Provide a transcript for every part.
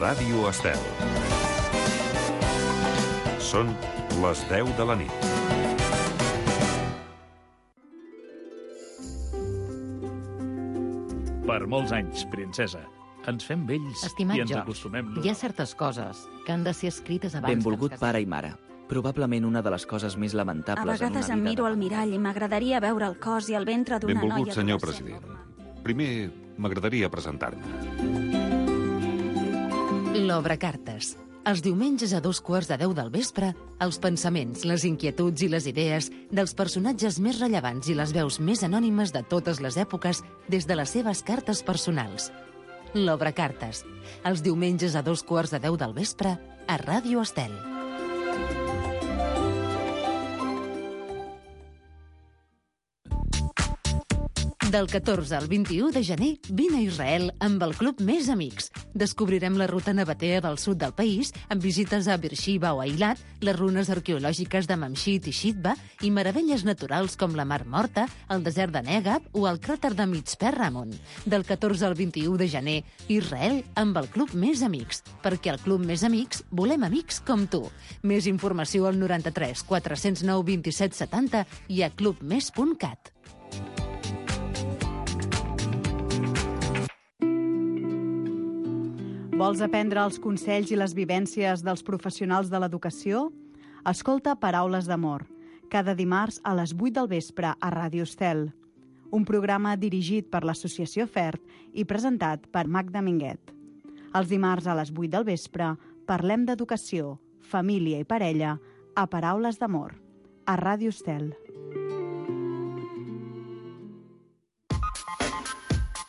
Ràdio Estel. Són les 10 de la nit. Per molts anys, princesa. Ens fem vells Estimat i ens George, acostumem. hi ha certes coses que han de ser escrites abans Benvolgut que ens pare casem. i mare. Probablement una de les coses més A lamentables en una vegades vida. em miro al mirall i m'agradaria veure el cos i el ventre d'una noia... Benvolgut, senyor adolescent president. normal. Primer, m'agradaria presentar-me. L'Obre Cartes. Els diumenges a 2:15 del vespre, els pensaments, les inquietuds i les idees dels personatges més rellevants i les veus més anònimes de totes les èpoques des de les seves cartes personals. L'Obre Cartes. Els diumenges a 2:15 del vespre a Ràdio Estel. Del 14 al 21 de gener, vine a Israel amb el Club Més Amics. Descobrirem la ruta nabatea del sud del país, amb visites a Beersheba o a Eilat, les runes arqueològiques de Mamshit i Shitba i meravelles naturals com la Mar Morta, el desert de Negab o el cràter de Mitzpe Ramon. Del 14 al 21 de gener, Israel amb el Club Més Amics. Perquè al Club Més Amics volem amics com tu. Més informació al 93 409 27 70 i a clubmes.cat. Vols aprendre els consells i les vivències dels professionals de l'educació? Escolta Paraules d'Amor, cada dimarts a les 8 del vespre a Ràdio Estel. Un programa dirigit per l'Associació FERT i presentat per Magda Minguet. Els dimarts a les 8 del vespre parlem d'educació, família i parella a Paraules d'Amor, a Ràdio Estel.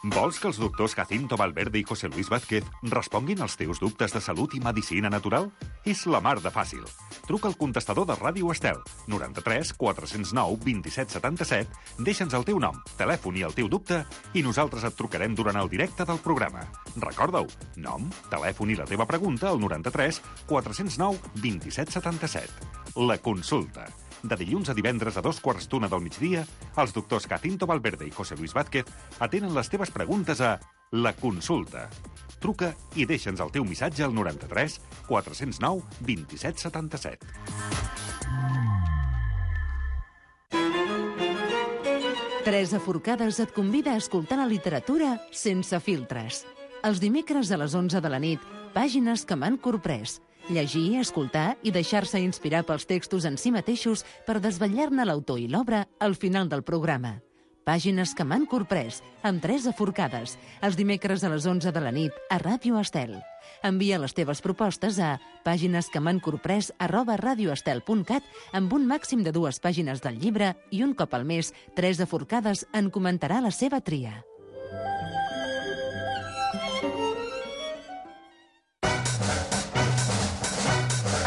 Vols que els doctors Jacinto Valverde i José Luis Vázquez responguin als teus dubtes de salut i medicina natural? És la mar de fàcil. Truca al contestador de Ràdio Estel, 93 409 27 77, deixa'ns el teu nom, telèfon i el teu dubte i nosaltres et trucarem durant el directe del programa. Recorda-ho, nom, telèfon i la teva pregunta al 93 409 27 77. La consulta. De dilluns a divendres a 2:15 del migdia, els doctors Jacinto Valverde i José Luis Vázquez atenen les teves preguntes a La Consulta. Truca i deixa'ns el teu missatge al 93 409 27 77. Teresa Forcades et convida a escoltar la literatura sense filtres. Els dimecres a les 11 de la nit, pàgines que m'han corprès. Llegir, escoltar i deixar-se inspirar pels textos en si mateixos per desvetllar-ne l'autor i l'obra al final del programa. Pàgines que m'han corprès, amb Teresa Forcades, els dimecres a les 11 de la nit a Ràdio Estel. Envia les teves propostes a paginesquemhancorprès@radioestel.cat amb un màxim de 2 pàgines del llibre i un cop al mes, Teresa Forcades en comentarà la seva tria.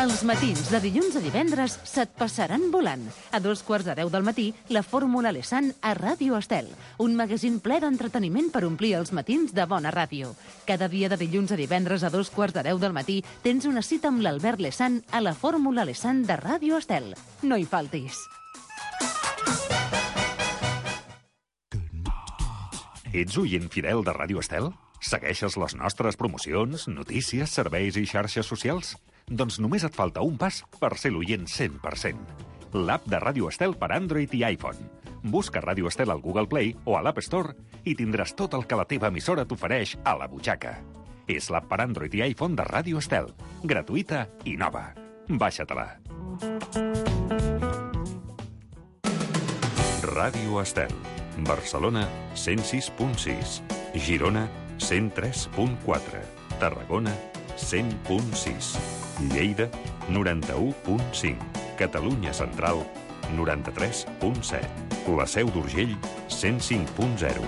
Els matins de dilluns a divendres se't passaran volant. A 2:15 del matí, la Fórmula Lesan a Ràdio Estel. Un magazín ple d'entreteniment per omplir els matins de bona ràdio. Cada dia de dilluns a divendres a 2:15 del matí tens una cita amb l'Albert Lesan a la Fórmula Lesan de Ràdio Estel. No hi faltis. Ets oient fidel de Ràdio Estel? Segueixes les nostres promocions, notícies, serveis i xarxes socials? Doncs només et falta un pas per ser l'oient 100%. L'app de Ràdio Estel per Android i iPhone. Busca Ràdio Estel al Google Play o a l'App Store i tindràs tot el que la teva emissora t'ofereix a la butxaca. És l'app per Android i iPhone de Ràdio Estel. Gratuïta i nova. Baixa-te-la. Ràdio Estel. Barcelona, 106.6. Girona, 103.4. Tarragona, 100.6. Lleida, 91.5. Catalunya Central, 93.7. La Seu d'Urgell, 105.0.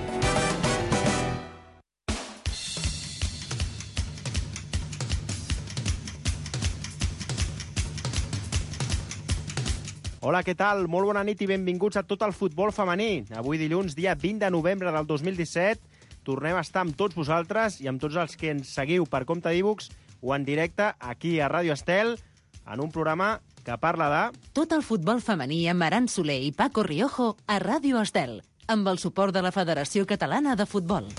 Hola, què tal? Molt bona nit i benvinguts a tot el futbol femení. Avui dilluns, dia 20 de novembre del 2017, tornem a estar amb tots vosaltres i amb tots els que ens seguiu per compte d'e-books o en directe aquí a Ràdio Estel, en un programa que parla de... Tot el futbol femení amb Aran Soler i Paco Riojo a Ràdio Estel, amb el suport de la Federació Catalana de Futbol.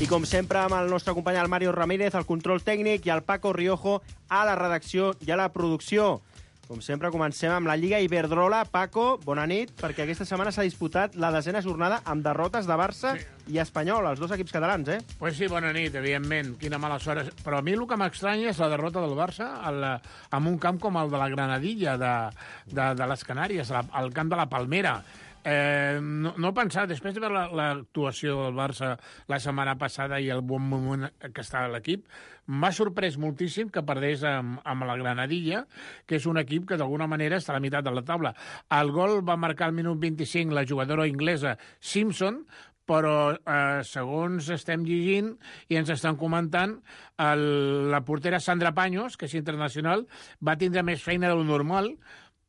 I com sempre, amb el nostre company el Mario Ramírez, al control tècnic, i el Paco Riojo a la redacció i a la producció. Com sempre, comencem amb la Lliga Iberdrola. Paco, bona nit, perquè aquesta setmana s'ha disputat la 10ª jornada amb derrotes de Barça i Espanyol, els dos equips catalans, eh? Pues sí, bona nit, evidentment. Quina mala sort. Però a mi el que m'estranya és la derrota del Barça en un camp com el de la Granadilla, de les Canàries, al camp de la Palmera. No pensar, després de veure l'actuació del Barça la setmana passada i el bon moment que està l'equip, m'ha sorprès moltíssim que perdés amb la Granadilla, que és un equip que d'alguna manera està a la meitat de la taula. El gol va marcar al minut 25 la jugadora inglesa Simpson, però segons estem llegint i ens estan comentant, la portera Sandra Paños, que és internacional, va tindre més feina del normal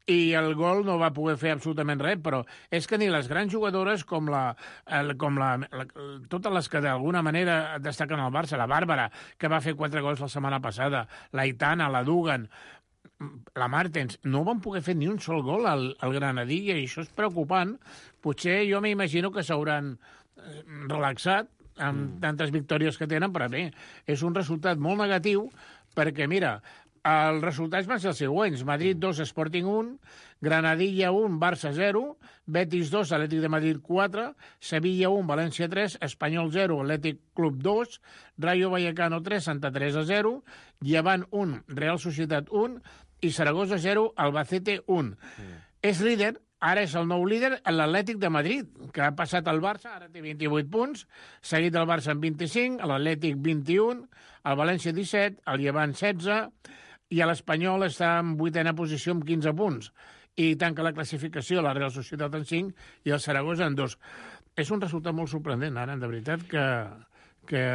i el gol no va poder fer absolutament res, però és que ni les grans jugadores com totes les que d'alguna manera destaquen al Barça, la Bàrbara, que va fer 4 gols la setmana passada, la Aitana, la Dugan, la Martens, no van poder fer ni un sol gol al Granadilla, i això és preocupant. Potser jo m'imagino que s'hauran relaxat amb tantes victòries que tenen, però bé, és un resultat molt negatiu, perquè, mira, els resultats van ser els següents: Madrid 2, Sporting 1, Granadilla 1, Barça 0, Betis 2, Atlètic de Madrid 4, Sevilla 1, València 3, Espanyol 0, Atlètic Club 2, Rayo Vallecano 3, Santa Teresa 0, Llevant 1, Real Societat 1 i Saragossa 0, Albacete 1. És líder, ara és el nou líder, l'Atlètic de Madrid, que ha passat al Barça, ara té 28 punts, seguit del Barça amb 25, l'Atlètic 21, el València 17, el Llevant 16, i l'Espanyol està en 8ª posició amb 15 punts. I tanca la classificació la Real Societat en 5 i el Saragossa en 2. És un resultat molt sorprendent, ara, de veritat, que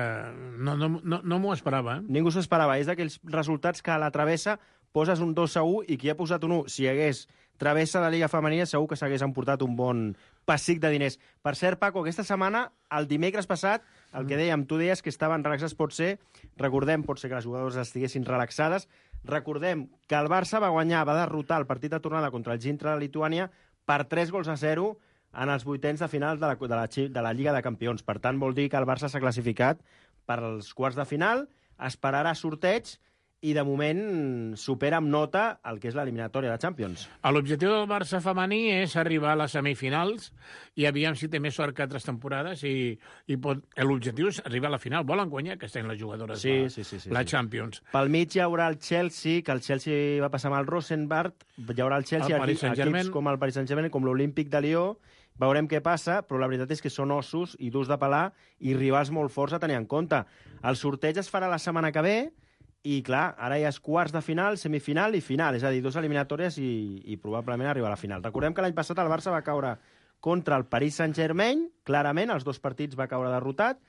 no m'ho esperava. Ningú s'ho esperava. És d'aquells resultats que a la travessa poses un 2-1 i qui ha posat un 1, si hi hagués travessa de Lliga Femenina, segur que s'hagués emportat un bon pessic de diners. Per cert, Paco, aquesta setmana, el dimecres passat, el que dèiem, tu deies que estaven relaxats, pot ser que les jugadores estiguessin relaxades. Recordem que el Barça va derrotar el partit de tornada contra el Gintra de Lituània per 3-0 en els 8ens de final de la Lliga de Campions. Per tant, vol dir que el Barça s'ha classificat per als quarts de final, esperarà sorteig i, de moment, supera amb nota el que és l'eliminatòria de Champions. L'objectiu del Barça femení és arribar a les semifinals i aviam si té més sort que altres temporades i l'objectiu és arribar a la final. Volen guanyar que estan les jugadores la Champions. Pel mig hi haurà el Chelsea, que el Chelsea va passar amb el Rosenborg, hi haurà el Chelsea, equips com el Paris Saint-Germain, com l'Olímpic de Lió. Veurem què passa, però la veritat és que són ossos i durs de pelar i rivals molt forts a tenir en compte. El sorteig es farà la setmana que ve i, clar, ara hi ha quarts de final, semifinal i final, és a dir, 2 eliminatòries i probablement arribar a la final. Recordem que l'any passat el Barça va caure contra el Paris Saint-Germain, clarament, els 2 partits va caure derrotat,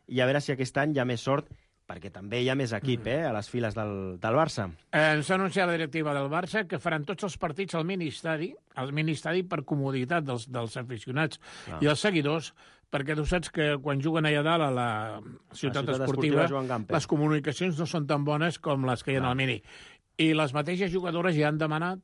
i a veure si aquest any hi ha més sort, perquè també hi ha més equip a les files del Barça. Ens ha anunciat la directiva del Barça que faran tots els partits al mini-estadi per comoditat dels aficionats i els seguidors, perquè tu saps que quan juguen allà dalt a la ciutat esportiva les comunicacions no són tan bones com les que hi ha al mini. I les mateixes jugadores ja han demanat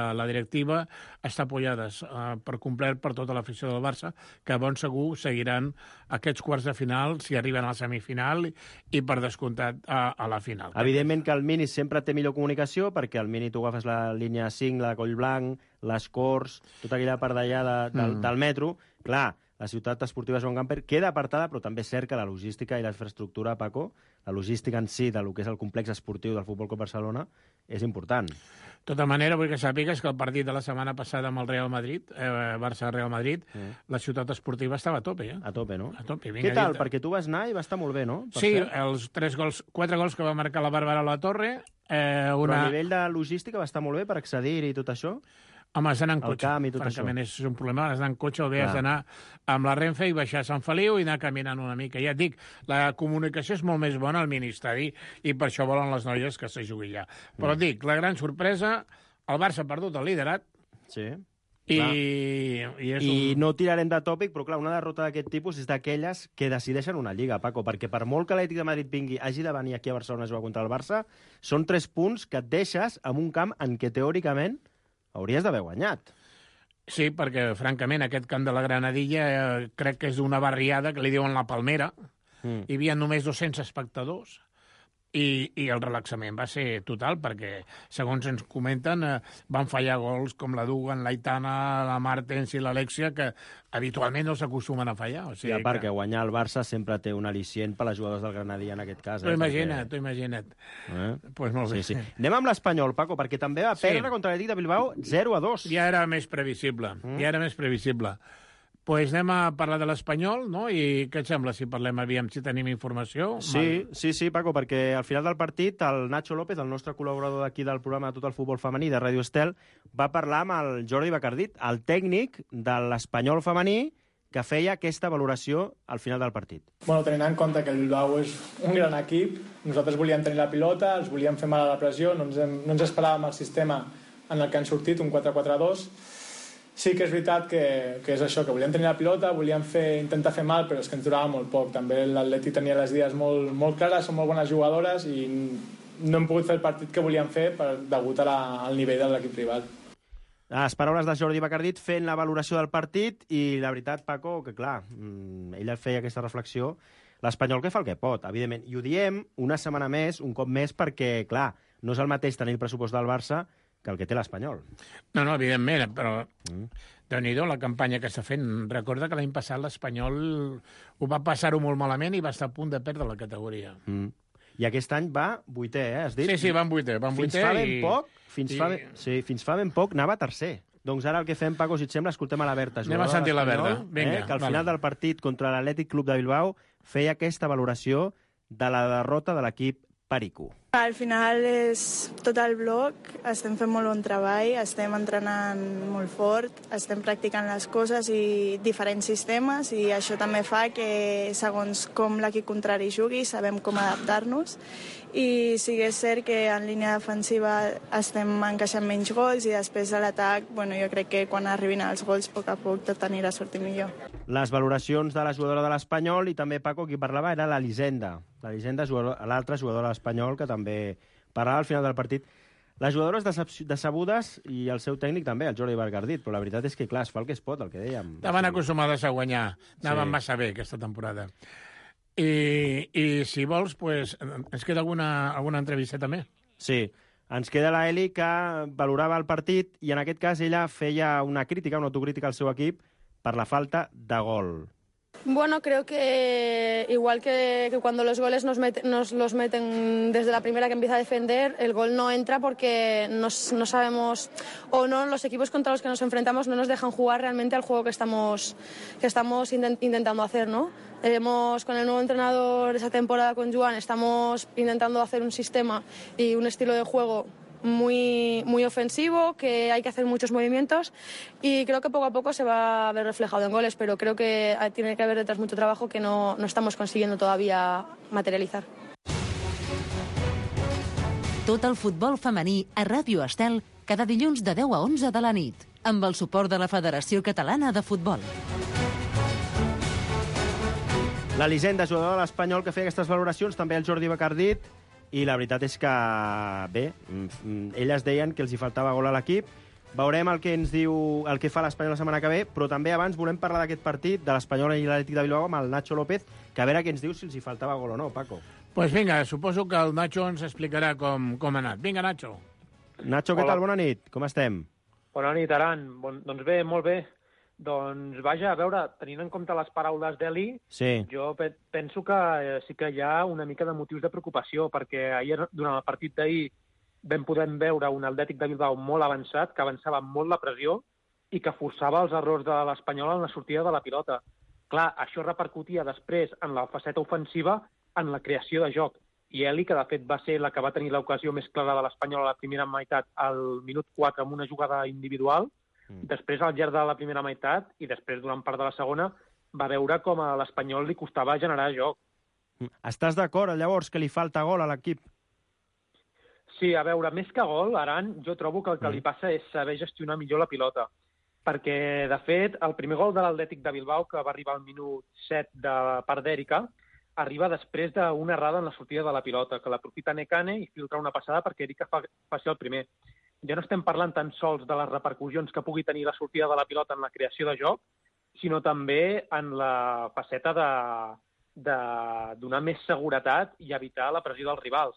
a la directiva estar apoyades per complet per tota l'afició del Barça, que bon segur seguiran aquests quarts de final si arriben a la semifinal i per descomptat a la final. Evidentment que el Mini sempre té millor comunicació, perquè al Mini tu agafes la línia 5, la de Collblanc, les Corts, tota aquella part d'allà del metro. Clar, la ciutat esportiva Joan Gamper queda apartada, però també és cert que la logística i la infraestructura, Paco, la logística en si del que és el complex esportiu del Futbol Club Barcelona és important. De tota manera, vull que sàpigues que el partit de la setmana passada amb el Real Madrid, Barça-Real Madrid, la ciutat esportiva estava a tope, A tope, no? A tope. Què tal? Perquè tu vas anar i va estar molt bé, no? Sí, els 4 gols que va marcar la Bàrbara a la Torre. Però a nivell de logística va estar molt bé per accedir-hi i tot això? Home, has d'anar en cotxe. Francament, és un problema. Has d'anar en cotxe o bé has d'anar amb la Renfe i baixar a Sant Feliu i anar caminant una mica. Ja et dic, la comunicació és molt més bona al mini-estadi i per això volen les noies que se jugui allà. Però et dic, la gran sorpresa, el Barça ha perdut el liderat. Sí. I no tirarem de tòpic, però clar, una derrota d'aquest tipus és d'aquelles que decideixen una lliga, Paco, perquè per molt que l'Atlètic de Madrid hagi de venir aquí a Barcelona a jugar contra el Barça, són 3 punts que et deixes en un camp en què teòricament hauries d'haver guanyat. Sí, perquè, francament, aquest camp de la Granadilla crec que és d'una barriada que li diuen la Palmera, hi havia només 200 espectadors, i el relaxament va ser total, perquè, segons ens comenten, van fallar gols com la Dugan, l'Aitana, la Martens i l'Alexia, que habitualment no s'acostumen a fallar. O sigui, I a part que guanyar el Barça sempre té un al·licient per les jugadors del Granadí en aquest cas. T'ho imagina't. Pues molt bé. Sí. Anem amb l'Espanyol, Paco, perquè també va perdre contra l'Atlètic de Bilbao 0-2. Ja era més previsible. Pues anem a parlar de l'Espanyol, no? I què et sembla si parlem, aviam, si tenim informació? Sí, Paco, perquè al final del partit el Nacho López, el nostre col·laborador d'aquí del programa de Tot el Futbol Femení de Ràdio Estel, va parlar amb el Jordi Bacardit, el tècnic de l'Espanyol femení, que feia aquesta valoració al final del partit. Bueno, tenint en compte que el Bilbao és un gran equip, nosaltres volíem tenir la pilota, els volíem fer mal a la pressió, no ens esperàvem el sistema en el que han sortit, un 4-4-2. Sí que és veritat que és això, que volíem tenir la pilota, volíem intentar fer mal, però és que ens durava molt poc. També l'Atleti tenia les idees molt clares, són molt bones jugadores i no hem pogut fer el partit que volíem fer degut al nivell de l'equip rival. Les paraules de Jordi Bacardit fent la valoració del partit i la veritat, Paco, que clar, ell feia aquesta reflexió, l'Espanyol que fa el que pot, evidentment. I ho diem una setmana més, un cop més, perquè, clar, no és el mateix tenir el pressupost del Barça que el que té l'Espanyol. No, evidentment, però Déu-n'hi-do la campanya que està fent. Recorda que l'any passat l'Espanyol ho va passar-ho molt malament i va estar a punt de perdre la categoria. I aquest any va vuitè, has dit? Sí, va en vuitè. Fins fa ben poc anava tercer. Doncs ara el que fem, Paco, si et sembla, escoltem a la Berta. Anem a sentir la Berta. Vinga, que al final del partit contra l'Atlètic Club de Bilbao feia aquesta valoració de la derrota de l'equip Perico. Al final és tot el bloc, estem fent molt bon treball, estem entrenant molt fort, estem practicant les coses i diferents sistemes i això també fa que segons com l'equip contrari jugui sabem com adaptar-nos i sí que és cert que en línia defensiva estem encaixant menys gols i després de l'atac, jo crec que quan arribin els gols a poc tot anirà sortint millor. Les valoracions de la jugadora de l'Espanyol i també, Paco, qui parlava era l'Elisenda. L'Elisenda, l'altra jugadora de l'Espanyol, que també parlava al final del partit. Les jugadores decebudes i el seu tècnic també, el Jordi Bacardit, però la veritat és que, clar, es fa el que es pot, el que dèiem. Estaven acostumades a guanyar, anaven massa bé aquesta temporada. I si vols, pues, ens queda alguna entrevista també? Sí, ens queda la Eli, que valorava el partit i en aquest cas ella feia una crítica, una autocrítica al seu equip per la falta de gol. Bueno, creo que igual que cuando los goles nos los meten desde la primera que empieza a defender, el gol no entra porque no sabemos, o no, los equipos contra los que nos enfrentamos no nos dejan jugar realmente al juego que estamos intentando hacer, ¿no? Con el nuevo entrenador esa temporada con Joan, estamos intentando hacer un sistema y un estilo de juego muy ofensivo, que hay que hacer muchos movimientos y creo que poco a poco se va a ver reflejado en goles, pero creo que tiene que haber detrás mucho trabajo que no estamos consiguiendo todavía materializar. Tot el futbol femení a Ràdio Estel cada dilluns de 10 a 11 de la nit, amb el suport de la Federació Catalana de Futbol. L'Elisenda, jugadora de l'Espanyol, que feia aquestes valoracions, també el Jordi Bacardit, i la veritat és que, bé, elles deien que els hi faltava gol a l'equip. Veurem el que ens diu, el que fa l'Espanyol la setmana que ve, però també abans volem parlar d'aquest partit de l'Espanyol i l'Atlètic de Bilbao amb el Nacho López, que a veure què ens diu si els hi faltava gol o no, Paco. Pues vinga, suposo que el Nacho ens explicarà com ha anat. Vinga, Nacho. Nacho, què tal? Bona nit. Com estem? Bona nit, Aran. Doncs bé, molt bé. Doncs, vaja, a veure, tenint en compte les paraules d'Eli, jo penso que sí que hi ha una mica de motius de preocupació, perquè ahir, durant el partit d'ahir, vam poder veure un Atlètic de Bilbao molt avançat, que avançava molt la pressió i que forçava els errors de l'Espanyol en la sortida de la pilota. Clar, això repercutia després en la faceta ofensiva, en la creació de joc. I Eli, que de fet va ser la que va tenir l'ocasió més clara de l'Espanyol a la primera meitat, al minut 4, amb una jugada individual, després, al llarg de la primera meitat, i després, durant part de la segona, va veure com a l'Espanyol li costava generar joc. Estàs d'acord, llavors, que li falta gol a l'equip? Sí, a veure, més que gol, Aran, jo trobo que el que li passa és saber gestionar millor la pilota. Perquè, de fet, el primer gol de l'Atlètic de Bilbao, que va arribar al minut 7 de part d'Èrica, arriba després d'una errada en la sortida de la pilota, que l'aprofita Nekane i filtra una passada perquè Èrica faci el primer. Ja no estem parlant tan sols de les repercussions que pugui tenir la sortida de la pilota en la creació de joc, sinó també en la faceta de donar més seguretat i evitar la pressió dels rivals.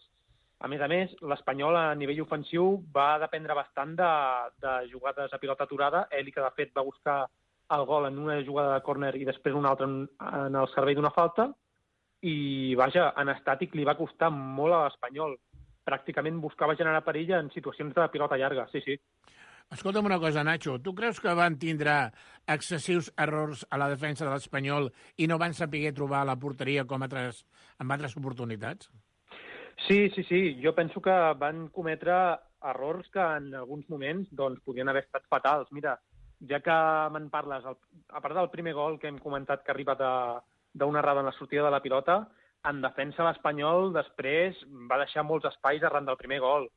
A més, l'Espanyol a nivell ofensiu va dependre bastant de jugades a pilota aturada. Eli, que de fet va buscar el gol en una jugada de córner i després una altra en el servei d'una falta. I, vaja, en estàtic li va costar molt a l'Espanyol. Pràcticament buscava generar perill en situacions de pilota llarga, sí. Escolta'm una cosa, Nacho. Tu creus que van tindre excessius errors a la defensa de l'Espanyol i no van saber trobar la porteria com en altres oportunitats? Sí. Jo penso que van cometre errors que en alguns moments podien haver estat fatals. Mira, ja que me'n parles, a part del primer gol que hem comentat que ha arribat d'una errada en la sortida de la pilota, en defensa l'Espanyol després va deixar molts espais arran del primer gol.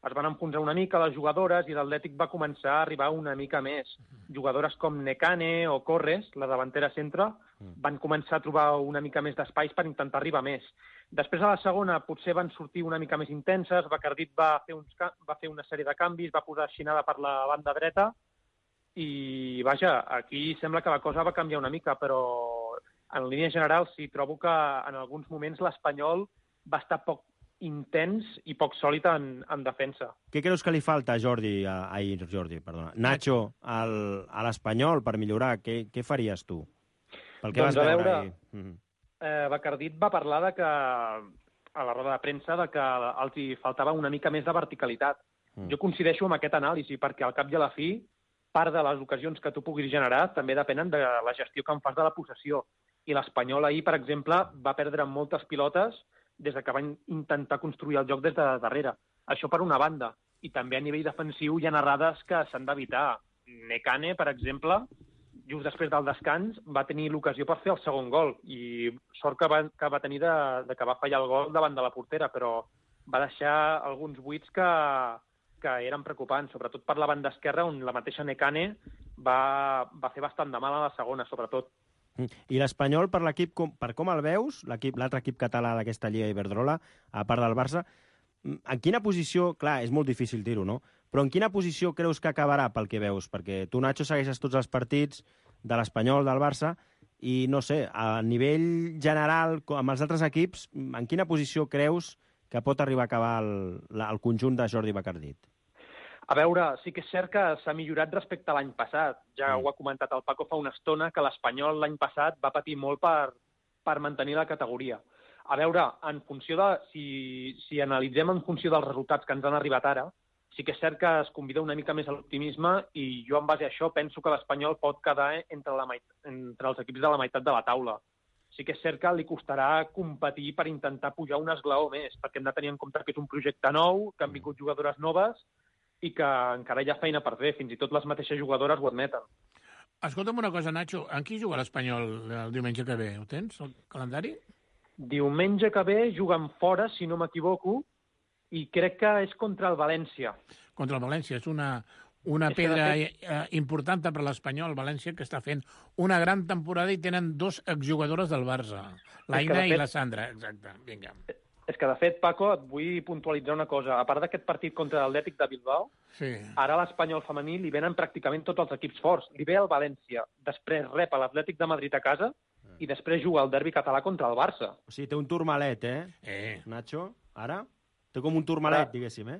Es van enfonsar una mica les jugadores i l'Atlètic va començar a arribar una mica més. Jugadores com Nekane o Corres, la davantera centre, van començar a trobar una mica més d'espais per intentar arribar més. Després, a la segona, potser van sortir una mica més intenses, Bacardit va fer una sèrie de canvis, va posar Xinada per la banda dreta i, vaja, aquí sembla que la cosa va canviar una mica, però en línia general sí, trobo que en alguns moments l'Espanyol va estar poc intens i poc sòlid en defensa. Què creus que li falta a Nacho a l'Espanyol per millorar? Què faries tu? Pel que vas veure ahir. Bacardit va parlar a la roda de premsa que els hi faltava una mica més de verticalitat. Jo coincideixo amb aquest anàlisi, perquè al cap i a la fi, part de les ocasions que tu puguis generar també depenen de la gestió que en fas de la possessió. I l'Espanyol ahir, per exemple, va perdre moltes pilotes des que van intentar construir el joc des de darrere. Això per una banda. I també a nivell defensiu hi ha errades que s'han d'evitar. Nekane, per exemple, just després del descans, va tenir l'ocasió per fer el segon gol. I sort que va tenir que va fallar el gol davant de la portera, però va deixar alguns buits que eren preocupants, sobretot per la banda esquerra, on la mateixa Nekane va fer bastant de mal a la segona, sobretot. I l'Espanyol, per l'equip, per com el veus, l'altre equip català d'aquesta Lliga Iberdrola, a part del Barça, en quina posició, clar, és molt difícil dir-ho, no? Però en quina posició creus que acabarà pel que veus? Perquè tu, Nacho, segueixes tots els partits de l'Espanyol, del Barça, i no sé, a nivell general, amb els altres equips, en quina posició creus que pot arribar a acabar el conjunt de Jordi Bacardit? A veure, sí que és cert que s'ha millorat respecte a l'any passat. Ja ho ha comentat el Paco fa una estona, que l'Espanyol l'any passat va patir molt per mantenir la categoria. A veure, en funció de... Si analitzem en funció dels resultats que ens han arribat ara, sí que és cert que es convida una mica més a l'optimisme i jo, en base a això, penso que l'Espanyol pot quedar entre els equips de la meitat de la taula. Sí que és cert que li costarà competir per intentar pujar un esglaó més, perquè hem de tenir en compte que és un projecte nou, que han vingut jugadores noves i que encara hi ha feina per fer. Fins i tot les mateixes jugadores ho admeten. Escolta'm una cosa, Nacho. En qui juga l'Espanyol el diumenge que ve? Ho tens, el calendari? Diumenge que ve juguen fora, si no m'equivoco, i crec que és contra el València. Contra el València. És una pedra important per l'Espanyol, València, que està fent una gran temporada i tenen dos exjugadores del Barça, l'Aina i la Sandra. Exacte, vinga. És que, de fet, Paco, et vull puntualitzar una cosa. A part d'aquest partit contra l'Atlètic de Bilbao, ara a l'Espanyol femení li venen pràcticament tots els equips forts. Li ve el València, després rep l'Atlètic de Madrid a casa i després juga el derbi català contra el Barça. O sigui, té un turmalet, Nacho? Ara? Té com un turmalet, diguéssim,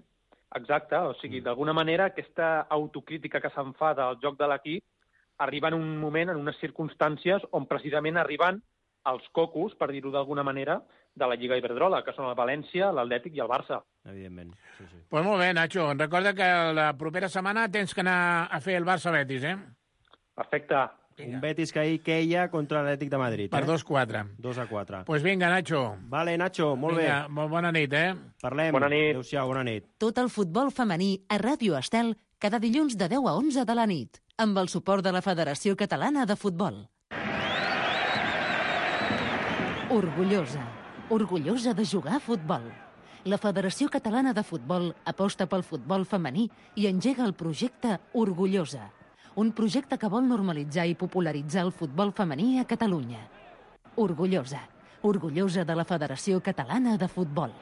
Exacte. O sigui, d'alguna manera, aquesta autocrítica que se'n fa del joc de l'equip arriba en un moment, en unes circumstàncies on precisament arriben els cocos, per dir-ho d'alguna manera, de la Lliga Iberdrola, que són el València, l'Atlètic i el Barça. Evidentment, sí. Pues molt bé, Nacho. Recorda que la propera setmana tens que anar a fer el Barça-Betis, Perfecte. Un Betis que ahir queia contra l'Atlètic de Madrid. Per 2-4. 2-4. Pues vinga, Nacho. Vale, Nacho, molt bé. Molt bona nit, Parlem. Bona nit. Adéu-siau, bona nit. Tot el futbol femení a Ràdio Estel cada dilluns de 10 a 11 de la nit, amb el suport de la Federació Catalana de Futbol. Orgullosa de jugar a futbol. La Federació Catalana de Futbol aposta pel futbol femení i engega el projecte Orgullosa, un projecte que vol normalitzar i popularitzar el futbol femení a Catalunya. Orgullosa de la Federació Catalana de Futbol.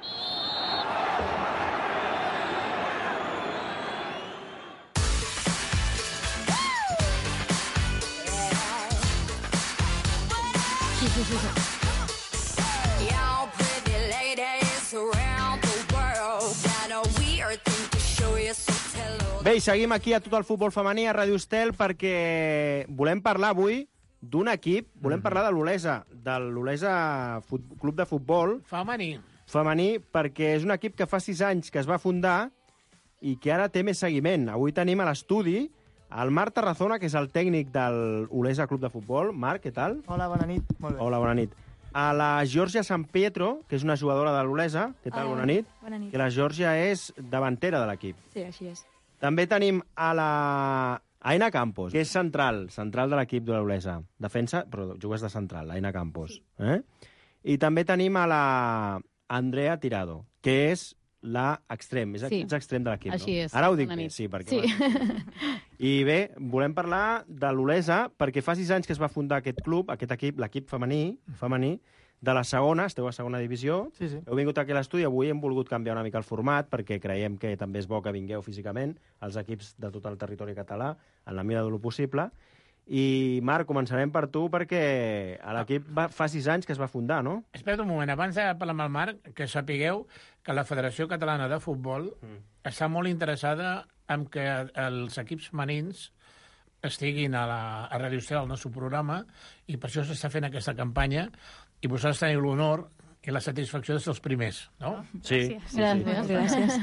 Bé, i seguim aquí a Tot el Futbol Femení a Ràdio Estel perquè volem parlar avui d'un equip, volem parlar de l'Olesa, Club de Futbol Femení, perquè és un equip que fa 6 anys que es va fundar i que ara té més seguiment. Avui tenim a l'estudi el Marc Tarazona, que és el tècnic de l'Olesa Club de Futbol. Marc, què tal? Hola, bona nit. Molt bé. Hola, bona nit. A la Georgia San Pietro, que és una jugadora de l'Olesa. Què tal? Bona nit. Bona nit. Que la Georgia és davantera de l'equip. Sí, així és. També tenim a la Aina Campos, que és central de l'equip de l'Olesa. Defensa, però jugues de central, Aina Campos. Sí. I també tenim a la Andrea Tirado, que és l'extrem, és extrem de l'equip. Així és. Ara ho dic bé, sí, perquè... Sí. I bé, volem parlar de l'Olesa, perquè fa 6 anys que es va fundar aquest club, aquest equip, l'equip femení, de la segona, esteu a segona divisió. Sí, sí. Heu vingut aquí a l'estudi, avui hem volgut canviar una mica el format, perquè creiem que també és bo que vingueu físicament els equips de tot el territori català, en la mida de lo possible. I, Marc, començarem per tu, perquè l'equip fa 6 anys que es va fundar, no? Espera't un moment, abans de parlar amb el Marc, que sapigueu que la Federació Catalana de Futbol està molt interessada en que els equips femenins estiguin a Ràdio Estel, al nostre programa, i per això s'està fent aquesta campanya, i vosaltres teniu l'honor i la satisfacció de ser els primers, no? Sí. Gràcies.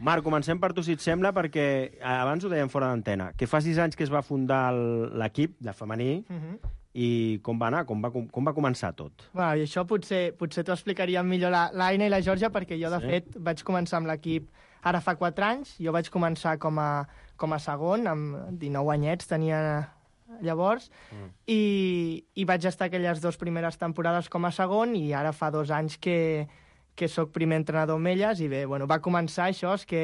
Marc, comencem per tu, si et sembla, perquè abans ho dèiem fora d'antena, que fa 6 anys que es va fundar l'equip, la femení, i com va anar, com va començar tot? Bueno, i això potser t'ho explicaria millor l'Aina i la Georgia, perquè jo, de fet, vaig començar amb l'equip ara fa 4 anys. Jo vaig començar com a segon, amb 19 anyets tenia llavors, i vaig estar aquelles 2 primeres temporades com a segon, i ara fa 2 anys que sóc primer entrenador amb elles, i bé, bueno, va començar això, és que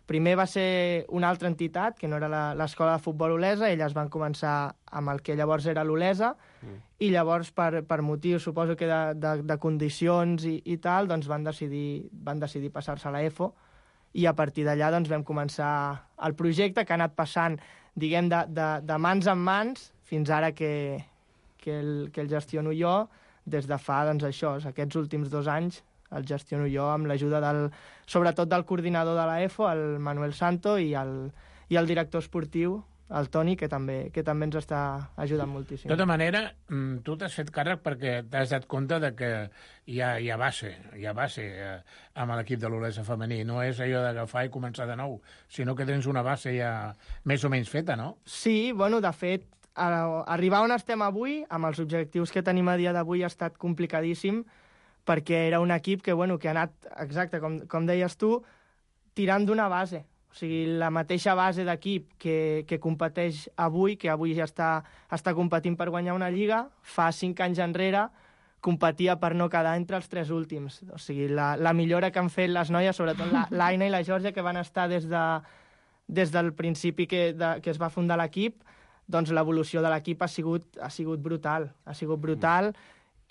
primer va ser una altra entitat, que no era l'Escola de Futbol Olesa, elles van començar amb el que llavors era l'Olesa, i llavors, per motius, suposo que de condicions i tal, doncs van decidir passar-se a la EFO, i a partir d'allà doncs, vam començar el projecte, que ha anat passant, diguem, de mans en mans, fins ara que el gestiono jo, des de fa, doncs, aquests últims 2 anys, el gestiono jo amb l'ajuda sobretot del coordinador de la EFO, el Manuel Santo, i el director esportiu, el Toni, que també ens està ajudant moltíssim. De tota manera, tu t'has fet càrrec perquè t'has dat compte de que hi ha base amb l'equip de l'Olesa femení. No és allò d'agafar i començar de nou, sinó que tens una base ja més o menys feta, no? Sí, bueno, de fet, arribar on estem avui, amb els objectius que tenim a dia d'avui, ha estat complicadíssim, perquè era un equip que ha anat, exacte, com deies tu, tirant d'una base. O sigui, la mateixa base d'equip que competeix avui, que avui ja està competint per guanyar una lliga, fa 5 anys enrere competia per no quedar entre els 3 últims. O sigui, la millora que han fet les noies, sobretot l'Aina i la Georgia, que van estar des del principi que es va fundar l'equip, doncs l'evolució de l'equip ha sigut brutal. Ha sigut brutal,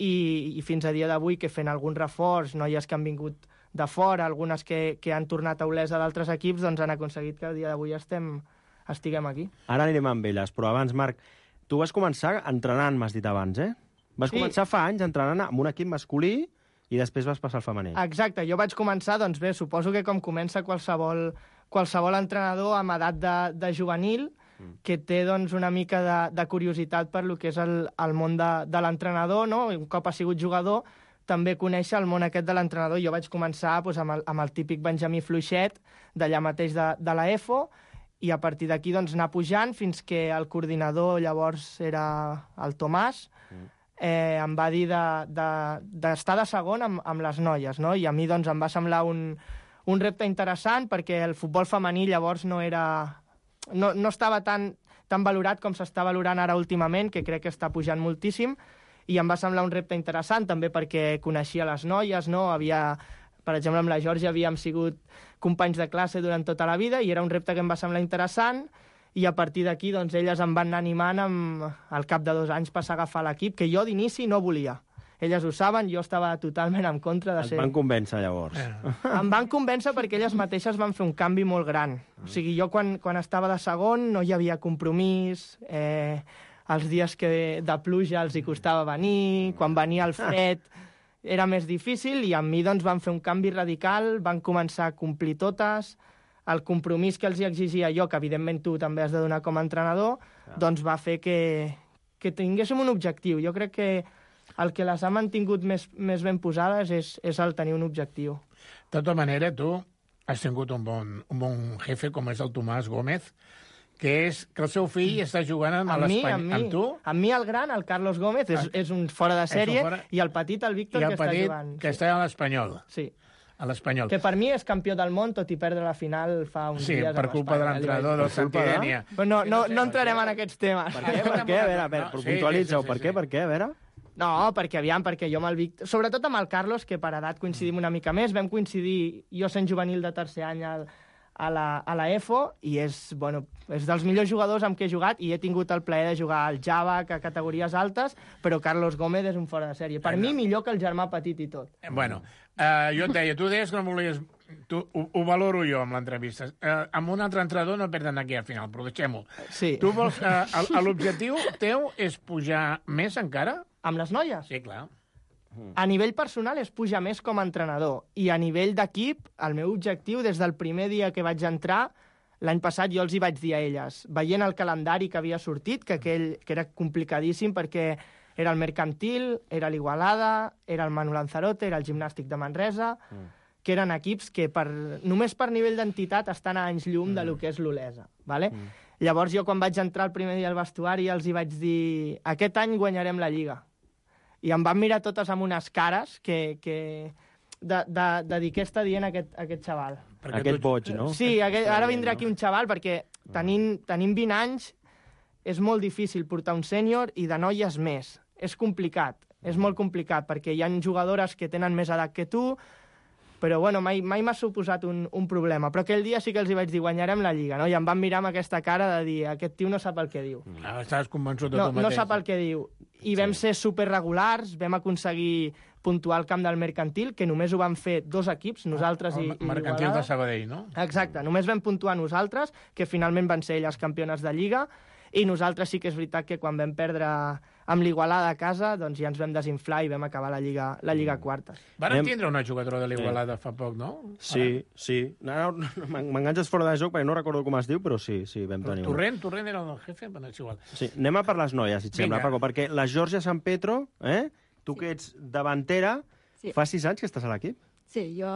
i fins a dia d'avui, que fent algun reforç, noies que han vingut de fora, algunes que han tornat a Olesa d'altres equips, doncs han aconseguit que a dia d'avui estiguem aquí. Ara anirem amb elles, però abans, Marc, tu vas començar entrenant, m'has dit abans, eh? Vas començar fa anys entrenant amb un equip masculí i després vas passar al femení. Exacte, jo vaig començar, doncs bé, suposo que com comença qualsevol entrenador amb edat de juvenil, que té doncs, una mica de curiositat per lo que és el món de l'entrenador, no? Un cop ha sigut jugador, també conèixer el món aquest de l'entrenador. Jo vaig començar doncs, amb el típic Benjamí Fluixet, d'allà mateix de la EFO, i a partir d'aquí doncs, anar pujant fins que el coordinador llavors era el Tomàs, em va dir d'estar de segon amb les noies, no? I a mi doncs, em va semblar un repte interessant, perquè el futbol femení llavors no estava tan valorat com s'està valorant ara últimament, que crec que està pujant moltíssim, i em va semblar un repte interessant també perquè coneixia les noies, no? Per exemple, amb la Georgia havíem sigut companys de classe durant tota la vida, i era un repte que em va semblar interessant, i a partir d'aquí doncs, elles em van anar animant al cap de 2 anys passar a agafar l'equip, que jo d'inici no volia. Elles ho saben, jo estava totalment en contra de ser... Et van convèncer, llavors. Em van convèncer perquè elles mateixes van fer un canvi molt gran. O sigui, jo quan estava de segon no hi havia compromís, els dies de pluja els hi costava venir, quan venia el fred era més difícil, i amb mi doncs, van fer un canvi radical, van començar a complir totes, el compromís que els hi exigia jo, que evidentment tu també has de donar com a entrenador, doncs va fer que tinguéssim un objectiu. Jo crec que el que les ha mantingut més ben posades és el tenir un objectiu. De tota manera, tu has tingut un bon jefe, com és el Tomàs Gómez, que és que el seu fill està jugant amb l'Espanyol. Amb tu? Amb mi, el gran, el Carlos Gómez, és un fora de sèrie, i el petit, el Víctor, que està jugant. Que està a l'Espanyol. Sí. A l'Espanyol. Que per mi és campió del món, tot i perdre la final fa uns dies. Sí, per culpa de l'entrenador del Santidènia. No entrarem en aquests temes. Per què? A veure, puntualitza-ho. Per què? A veure... No, perquè jo amb el Víctor... Sobretot amb el Carlos, que per edat coincidim una mica més. Vam coincidir, jo sent juvenil de tercer any a la EFO, i és dels millors jugadors amb què he jugat, i he tingut el plaer de jugar al Java, a categories altes, però Carlos Gómez és un fora de sèrie. Per mi, millor que el germà petit i tot. Bueno, jo et deia, tu deies que no volies... Ho valoro jo amb l'entrevista. Amb un altre entrenador no perden aquí al final, però deixem-ho. Sí. Tu vols... L'objectiu teu és pujar més encara? Amb les noies? Sí, clar. A nivell personal és pujar més com a entrenador, i a nivell d'equip, el meu objectiu, des del primer dia que vaig entrar, l'any passat jo els hi vaig dir a elles, veient el calendari que havia sortit, que era complicadíssim perquè era el Mercantil, era l'Igualada, era el Manu Lanzarote, era el Gimnàstic de Manresa, que eren equips que només per nivell d'entitat estan a anys llum de lo que és l'Olesa. Vale? Llavors jo quan vaig entrar el primer dia al vestuari els hi vaig dir aquest any guanyarem la Lliga. I em van mirar totes amb unes cares de dir què està dient aquest xaval. Aquest boig, no? Sí, ara vindrà aquí un xaval perquè tenint 20 anys és molt difícil portar un sènior i de noies més. És complicat, és molt complicat perquè hi ha jugadores que tenen més edat que tu, però bueno, mai m'ha suposat un problema. Però aquell dia sí que els hi vaig dir guanyarem la Lliga, no? I em van mirar amb aquesta cara de dir aquest tio no sap el que diu. Estaves convençut de tu mateix. No sap el que diu. I vam ser superregulars, vam aconseguir puntuar el camp del Mercantil, que només ho van fer 2 equips, nosaltres i Mercantil de Sabadell, no? Exacte, només vam puntuar nosaltres, que finalment van ser elles campiones de Lliga, i nosaltres sí que és veritat que quan vam perdre amb l'Igualada a casa, doncs ja ens vam desinflar i vam acabar la Lliga quarta. Van tindre una jugadora de l'Igualada fa poc, no? Sí. M'enganxes fora de joc perquè no recordo com es diu, però sí, vam tenir una. Torrent era el jefe, però és igual. Sí, anem a per les noies, si et sembla, Paco, perquè la Georgia San Pedro, tu que ets davantera, fa 6 anys que estàs a l'equip? Sí, jo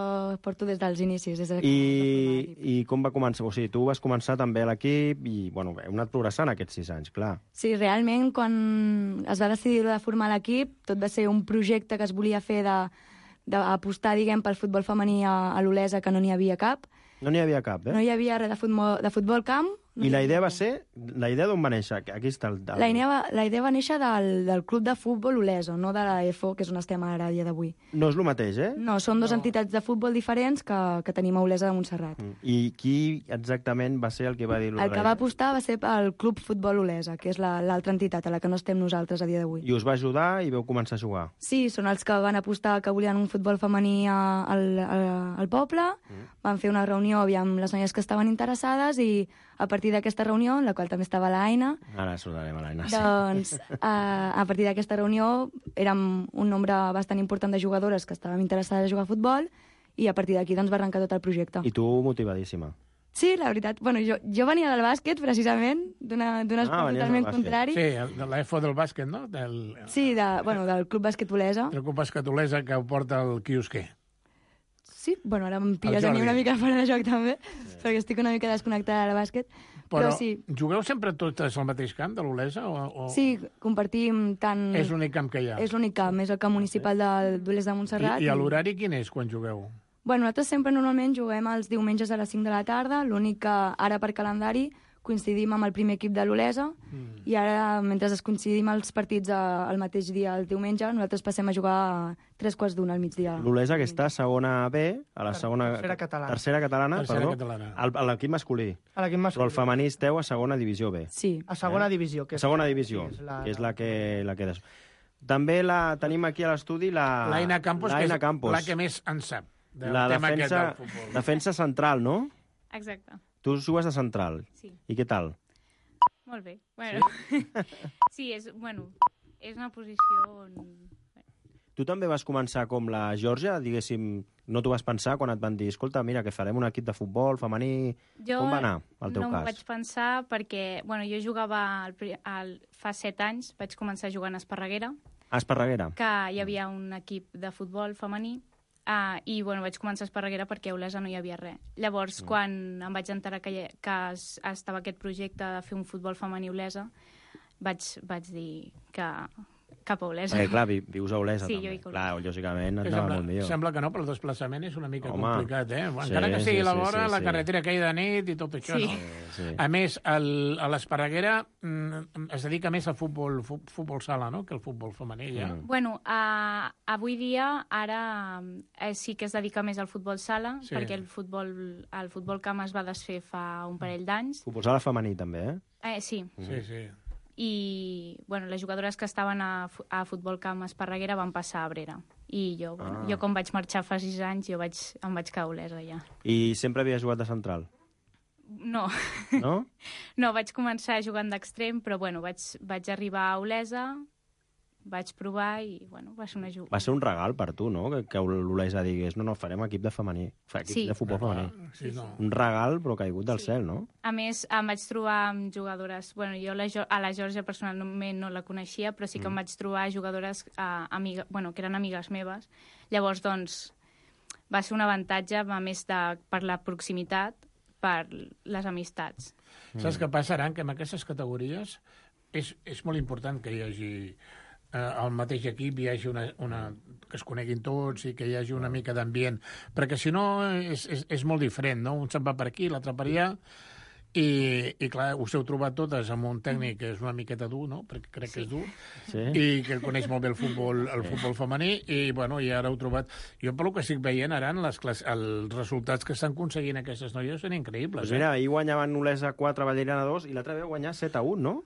porto des dels inicis. I com va començar? O sigui, tu vas començar també a l'equip i, bueno, heu anat progressant aquests 6 anys, clar. Sí, realment, quan es va decidir de formar l'equip, tot va ser un projecte que es volia fer d'apostar, diguem, pel futbol femení a l'Olesa, que no n'hi havia cap. No n'hi havia cap, No hi havia res de futbol camp. I la idea va ser... La idea d'on va néixer? Aquí està el... La idea va néixer del club de futbol Olesa, no de la EFO, que és on estem ara a dia d'avui. No és el mateix, No, són 2 entitats de futbol diferents que tenim a Olesa de Montserrat. I qui exactament va ser el que va dir... El que va apostar va ser el club futbol Olesa, que és l'altra entitat a la que no estem nosaltres a dia d'avui. I us va ajudar i vau començar a jugar? Sí, són els que van apostar que volien un futbol femení al poble, van fer una reunió amb les noies que estaven interessades i a partir d'aquesta reunió, en la qual també estava l'Aina... Ara saludarem a l'Aina, doncs, a partir d'aquesta reunió érem un nombre bastant important de jugadores que estàvem interessades a jugar a futbol i a partir d'aquí doncs, va arrencar tot el projecte. I tu motivadísima? Sí, la veritat. Bueno, jo venia del bàsquet, precisament, d'un esport totalment contrari. Sí, de l'EFO del bàsquet, no? Sí, del Club Bàsquet Olesa. Del Club Bàsquet Olesa que ho porta el quiosquer. Sí, bueno, ara em pilles a mi una mica fora de joc també, perquè estic una mica desconnectada del bàsquet. Però sí. Jugueu sempre totes al mateix camp de l'Olesa? Sí, compartim tant... És l'únic camp que hi ha? És l'únic camp, és el camp municipal d'Olesa de Montserrat. I l'horari quin és quan jugueu? Bueno, nosaltres sempre normalment juguem els diumenges a les 5 de la tarda, l'únic que ara per calendari coincidim amb el primer equip de l'Olesa i ara, mentre es coincidim els partits el mateix dia, el diumenge, nosaltres passem a jugar a 3:15 al migdia. L'Olesa, que està a segona B, a la segona... Tercera catalana, perdó, a l'equip masculí. A l'equip masculí. Però el femení esteu a segona divisió B. Sí. A segona divisió. A segona divisió, que és la que... També la tenim aquí a l'estudi, l'Aina Campos, que és la que més en sap. La defensa central, no? Exacte. Tu jugues de central. Sí. I què tal? Molt bé. Bueno, sí, és una posició on... Tu també vas començar com la Georgia, diguéssim, no t'ho vas pensar quan et van dir, escolta, mira, que farem un equip de futbol femení... Com va anar, el teu cas? Jo no m'ho vaig pensar perquè, jo jugava fa 7 anys, vaig començar jugant a Esparreguera. A Esparreguera? Que hi havia un equip de futbol femení. I vaig començar a Esparreguera perquè a Olesa no hi havia res. Llavors, quan em vaig enterar que estava aquest projecte de fer un futbol femení a Olesa, vaig dir que cap a Olesa. Perquè, clar, vius a Olesa, sí, també. Jo clar, lògicament, et anava molt millor. Sembla que no, però el desplaçament és una mica complicat, eh? Encara que sigui a la vora, la carretera que hi de nit i tot això, no? Sí. A més, a l'Esparreguera es dedica més al futbol sala, no?, que al futbol femení, ja. Avui dia, ara sí que es dedica més al futbol sala, perquè el futbol camp es va desfer fa un parell d'anys. Futbol sala femení, també, eh? Sí. Sí. I les jugadores que estaven a futbol camp a Esparreguera van passar a Abrera. I jo com vaig marxar fa 6 anys, em vaig quedar a Olesa, ja. I sempre havies jugat de central? No. No? No, vaig començar jugant d'extrem, però vaig arribar a Olesa, vaig provar i, va ser una jugada. Va ser un regal per tu, no?, que l'Olesa digués, no, farem equip de femení, de futbol femení. Sí, no. Un regal, però caigut del cel, no? A més, em vaig trobar amb jugadores... Jo a la Georgia personalment no la coneixia, però sí que em vaig trobar jugadores que eren amigues meves. Llavors, va ser un avantatge, a més per la proximitat, per les amistats. Saps què passa, Aran? Que en aquestes categories és molt important que hi hagi... al mateix equip hi hagi que es coneguin tots i que hi hagi una mica d'ambient, perquè si no és molt diferent, no? Un se'n va per aquí, l'altre per allà, i clar, us heu trobat totes amb un tècnic que és una miqueta dur, no? Perquè crec que és dur, i que coneix molt bé el futbol femení, i ara heu trobat... Jo, pel que estic veient, ara, els resultats que estan aconseguint aquestes noies són increïbles. Doncs mira, ahir guanyaven Olesa 4, Vallerana 2, i l'altre veu guanyar 7-1, no?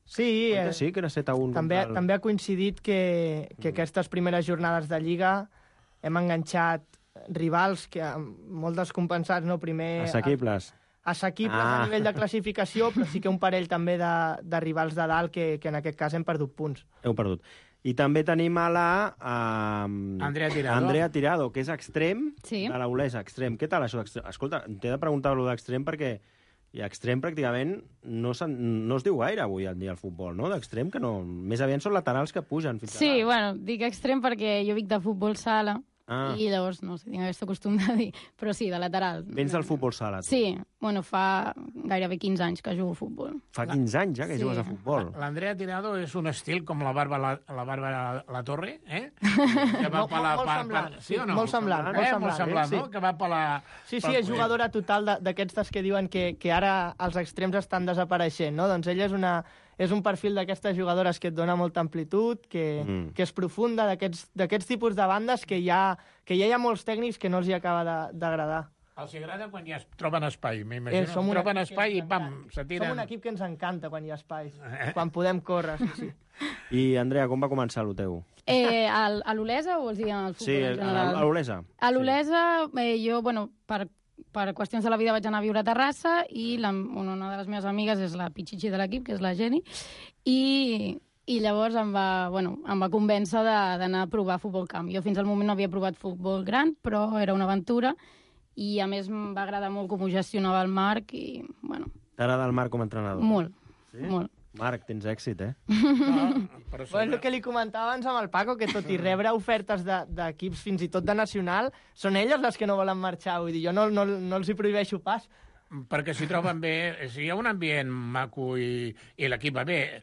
Sí, sí, que era 7-1. També ha coincidit que aquestes primeres jornades de Lliga hem enganxat rivals que molt descompensats, no? Primer... Assequibles. A nivell de classificació, però sí que un parell també de rivals de dalt que en aquest cas hem perdut punts. Heu perdut. I també tenim a la... Andrea Tirado, que és extrem de la Olesa, extrem. Què tal això d'extrem? Escolta, t'he de preguntar-lo d'extrem perquè... I extrem pràcticament no es diu gaire avui en dia al futbol, no? D'extrem que no... Més aviat són laterals que pugen fins a dalt. Dic extrem perquè jo vinc de futbol sala i llavors, no sé, tinc aquest costum de dir, però sí, de lateral. Vens del futbol sala, tu? Sí, fa gairebé 15 anys que jugo a futbol. Fa 15 anys, ja, que jugues a futbol. L'Andrea Tirado és un estil com la Bàrbara La Torre, eh? Que va molt semblant. Sí o no? Molt semblant, no? Que va per la... Sí, és jugadora total d'aquestes que diuen que ara els extrems estan desapareixent, no? Doncs ella és un perfil d'aquestes jugadores que et dona molta amplitud, que és profunda, d'aquests tipus de bandes que ja hi ha molts tècnics que no els hi acaba d'agradar. Els agrada quan ja es troben espai, m'imagino. Troben espai i pam, se tiren. Som un equip que ens encanta quan hi ha espai, quan podem córrer, sí. I, Andrea, com va començar el teu? A l'Olesa o vols dir al futbol en general? Sí, a l'Olesa. A l'Olesa, jo, per qüestions de la vida vaig anar a viure a Terrassa i una de les meves amigues és la pitxitxi de l'equip, que és la Jenny, i llavors em va convèncer d'anar a provar futbol camp. Jo fins al moment no havia provat futbol gran, però era una aventura i a més em va agradar molt com ho gestionava el Marc i, T'agrada el Marc com a entrenador? Molt, sí? Molt. Marc, tens èxit, eh? El que li comentava abans amb el Paco, que tot i rebre ofertes d'equips fins i tot de nacional, són elles les que no volen marxar. Vull dir, jo no els hi prohibeixo pas. Perquè s'hi troben bé, si hi ha un ambient maco i l'equip va bé,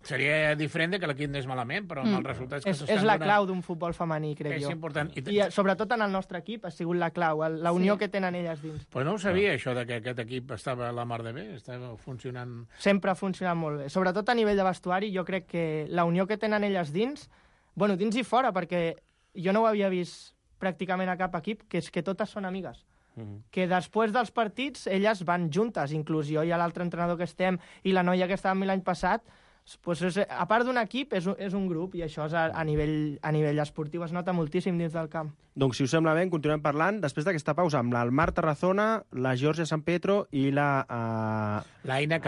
seria diferent que l'equip anés malament, però amb els resultats que s'estan donant... És la clau d'un futbol femení, crec jo. És important. I sobretot en el nostre equip ha sigut la clau, la unió que tenen elles dins. Però no ho sabia, això, que aquest equip estava a la mar de bé, estava funcionant... Sempre ha funcionat molt bé. Sobretot a nivell de vestuari, jo crec que la unió que tenen elles dins, dins i fora, perquè jo no ho havia vist pràcticament a cap equip, que és que totes són amigues. Que després dels partits elles van juntes, inclús jo i l'altre entrenador que estem i la noia que estava amb mi l'any passat, a part d'un equip és un grup i això a nivell esportiu es nota moltíssim dins del camp. Doncs si us sembla bé, continuem parlant després d'aquesta pausa amb l'Almar Tarazona, la Georgia San Pedro i l'Aina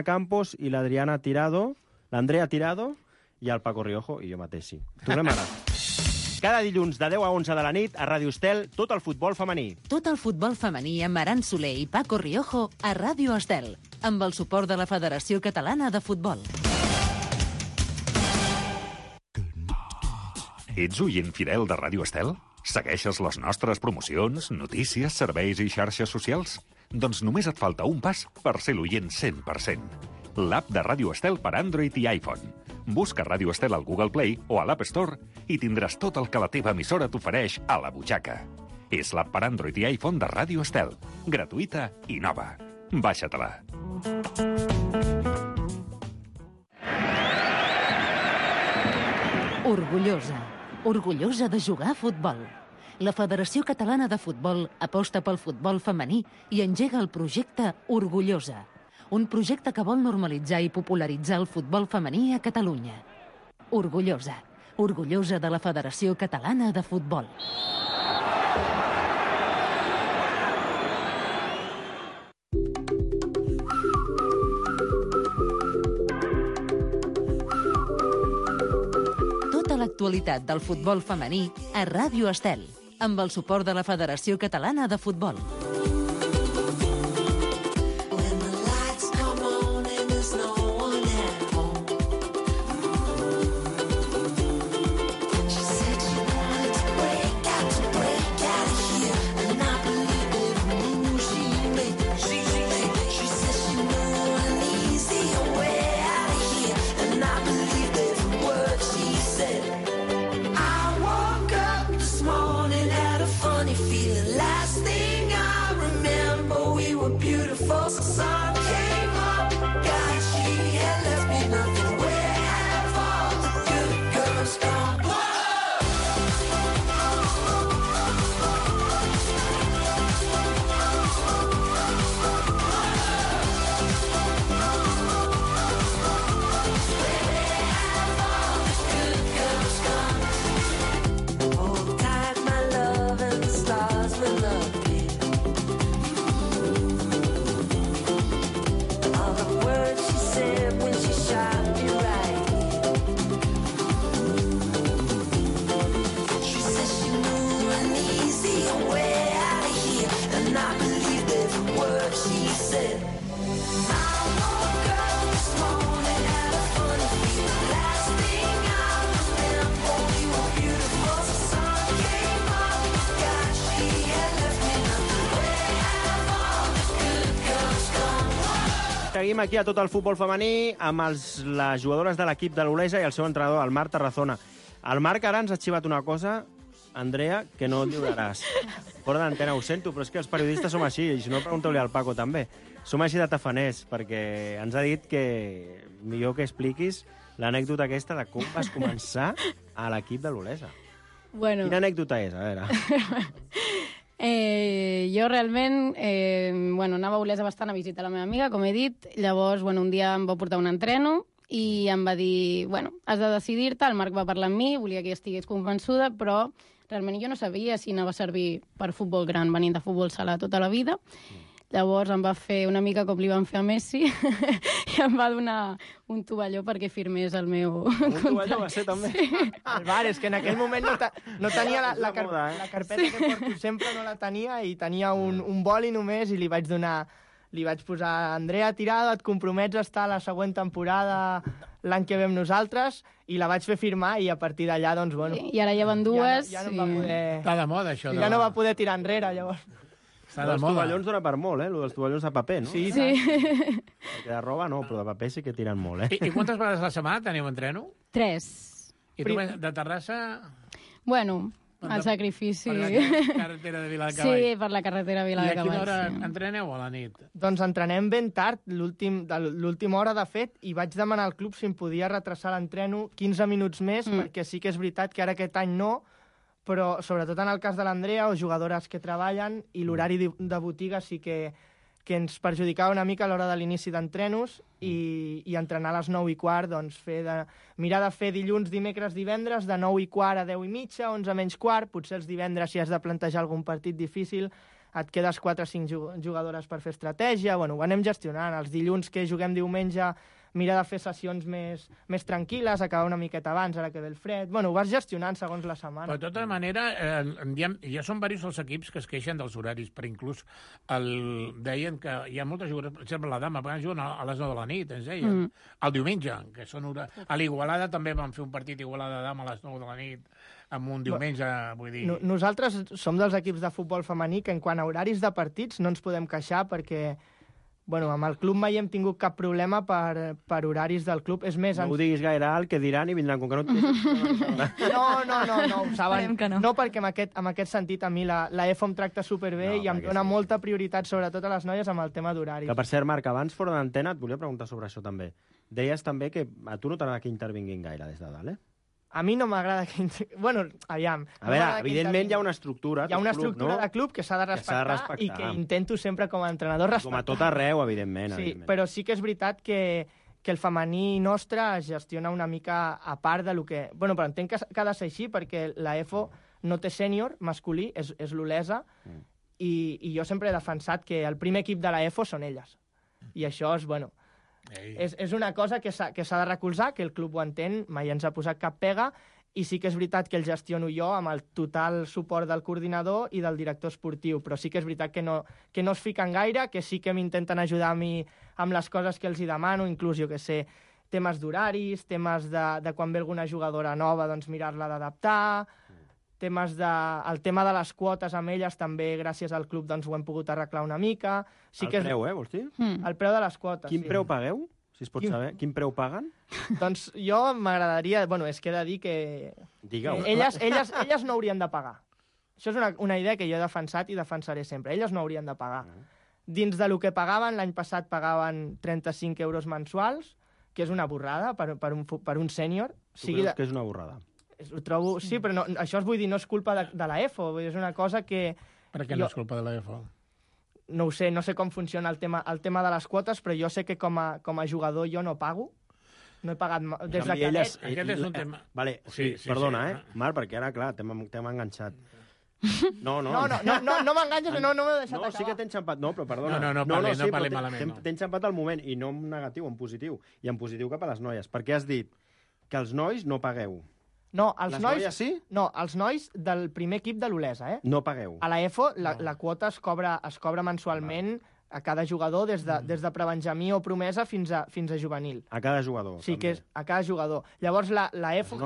Campos i l'Adriana Tirado, l'Andrea Tirado i el Paco Riojo i jo mateix, sí. Tornem ara. Cada dilluns de 10 a 11 de la nit a Ràdio Estel, tot el futbol femení. Tot el futbol femení amb Aran Soler i Paco Riojo a Ràdio Estel, amb el suport de la Federació Catalana de Futbol. Ets oient fidel de Ràdio Estel? Segueixes les nostres promocions, notícies, serveis i xarxes socials? Doncs només et falta un pas per ser l'oient 100%. L'app de Ràdio Estel per Android i iPhone. Busca Ràdio Estel al Google Play o a l'App Store i tindràs tot el que la teva emissora t'ofereix a la butxaca. És l'app per Android i iPhone de Ràdio Estel. Gratuïta i nova. Baixa-te-la. Orgullosa. Orgullosa de jugar a futbol. La Federació Catalana de Futbol aposta pel futbol femení i engega el projecte Orgullosa. Un projecte que vol normalitzar i popularitzar el futbol femení a Catalunya. Orgullosa. Orgullosa de la Federació Catalana de Futbol. Tota l'actualitat del futbol femení a Ràdio Estel, amb el suport de la Federació Catalana de Futbol. Seguim aquí a tot el futbol femení amb les jugadores de l'equip de l'Olesa i el seu entrenador, el Marc Tarazona. El Marc ara ens ha xivat una cosa, Andrea, que no lliuraràs. Fora d'antena ho sento, però és que els periodistes som així, i si no, pregunteu-li al Paco també. Som així de tafaners, perquè ens ha dit que millor que expliquis l'anècdota aquesta de com vas començar a l'equip de l'Olesa. Bueno. Quina anècdota és? A veure... Jo realment anava a Olesa bastant a visitar la meva amiga, com he dit. Llavors, un dia em va portar un entreno i em va dir, has de decidir-te. El Marc va parlar amb mi, volia que jo estigués convençuda, però realment jo no sabia si anava a servir per futbol gran, venint de futbol sala tota la vida. Llavors em va fer una mica com li van fer a Messi i em va donar un tovalló perquè firmés el meu contracte. Un tovalló va ser també? Sí. El bar, és que en aquell moment no tenia la carpeta que porto sempre, no la tenia, i tenia un boli només i li vaig posar, Andrea Tirado, et compromets a estar a la següent temporada l'any que ve amb nosaltres, i la vaig fer firmar, i a partir d'allà, doncs, I ara ja van dues. Ja no va poder... Està de moda, això. Ja no va poder tirar enrere, llavors. Els tovallons dona per molt, lo dels tovallons de paper, no? Sí. Perquè de roba no, però de paper sí que tiren molt, I quantes vegades a la setmana teniu entreno? 3. I tu de Terrassa? El sacrifici. Per la carretera de Viladecavall. Sí, per la carretera de Viladecavall. I a quina hora entreneu a la nit? Doncs entrenem ben tard, l'última hora, de fet, i vaig demanar al club si em podia retrasar l'entreno 15 minuts més, perquè sí que és veritat que ara aquest any no, però sobretot en el cas de l'Andrea o jugadores que treballen, i l'horari de botiga sí que ens perjudicava una mica a l'hora de l'inici d'entrenos, i entrenar a les 9:15, doncs mirar de fer dilluns, dimecres, divendres, de 9:15 a 10:30, 11:15, potser els divendres, si has de plantejar algun partit difícil, et quedes 4 o 5 jugadores per fer estratègia. Ho anem gestionant. Els dilluns que juguem diumenge mira de fer sessions més tranquil·les, acabar una miqueta abans, ara que ve el fred... Bueno, ho vas gestionant segons la setmana. Però de tota manera, ja són diversos els equips que es queixen dels horaris, però inclús deien que hi ha moltes jugadores, per exemple, la dama, perquè juguen a les 9 de la nit, ens deien. El diumenge, que són a l'Igualada també van fer un partit Igualada dama a les 9 de la nit, amb un diumenge, vull dir... Nosaltres som dels equips de futbol femení que en quant a horaris de partits no ens podem queixar perquè amb el club mai hem tingut cap problema per horaris del club. És més... No ho diguis gaire alt, que diran i vindran com que no... No, ho saben. No, perquè en aquest sentit a mi la EFO em tracta superbé i em dona molta prioritat, sobretot a les noies, amb el tema d'horaris. Que, per cert, Marc, abans fora d'antena et volia preguntar sobre això també. Deies també que a tu no t'agrada que intervinguin gaire des de dalt, A mi no m'agrada que... aviam. A veure, evidentment hi ha una estructura. Hi ha una estructura de club que s'ha de respectar i que intento sempre com a entrenador respectar. Com a tot arreu, evidentment. Sí, però sí que és veritat que el femení nostre es gestiona una mica a part de lo que... Però entenc que ha de ser així perquè la EFO no té sènior masculí, és l'Olesa, i jo sempre he defensat que el primer equip de la EFO són elles. I això és, és una cosa que s'ha de recolzar, que el club ho entén, mai ens ha posat cap pega, i sí que és veritat que el gestiono jo amb el total suport del coordinador i del director esportiu, però sí que és veritat que no es fiquen gaire, que sí que m'intenten ajudar a mi amb les coses que els hi demano, inclús, jo que sé, temes d'horaris, temes de quan ve alguna jugadora nova, doncs mirar-la d'adaptar, el tema de les quotes amb elles també, gràcies al club, doncs ho hem pogut arreglar una mica. Preu, vols dir? El preu de les quotes, Quin preu pagueu? Si es pot saber. Quin preu paguen? Doncs jo m'agradaria... és que he de dir que... Digueu. Elles no haurien de pagar. Això és una idea que jo he defensat i defensaré sempre. Elles no haurien de pagar. Dins de lo que pagaven, l'any passat pagaven 35 euros mensuals, que és una borrada per un sènior. Tu creus que és una borrada? Ho trobo... Sí, però no, això vull dir, no és culpa de la EFO, és una cosa que... Per què no és culpa de la EFO? No ho sé, no sé com funciona el tema de les quotes, però jo sé que com a jugador jo no pago. No he pagat... Des de elles... Aquest és un tema... Vale, sí, perdona, Marc, perquè ara, clar, t'hem enganxat. No m'enganxes, no m'he deixat acabar. No, sí que t'he enxampat. No, però perdona. No parli malament. T'he enxampat al moment, i no en negatiu, en positiu. I en positiu cap a les noies. Perquè has dit que els nois no pagueu. No, els nois... noies sí? No, els nois del primer equip de l'Olesa, No pagueu. A la EFO la quota es cobra mensualment a cada jugador, des de prebenjamí o promesa fins a juvenil. A cada jugador. Sí, que és a cada jugador. Llavors, la EFO,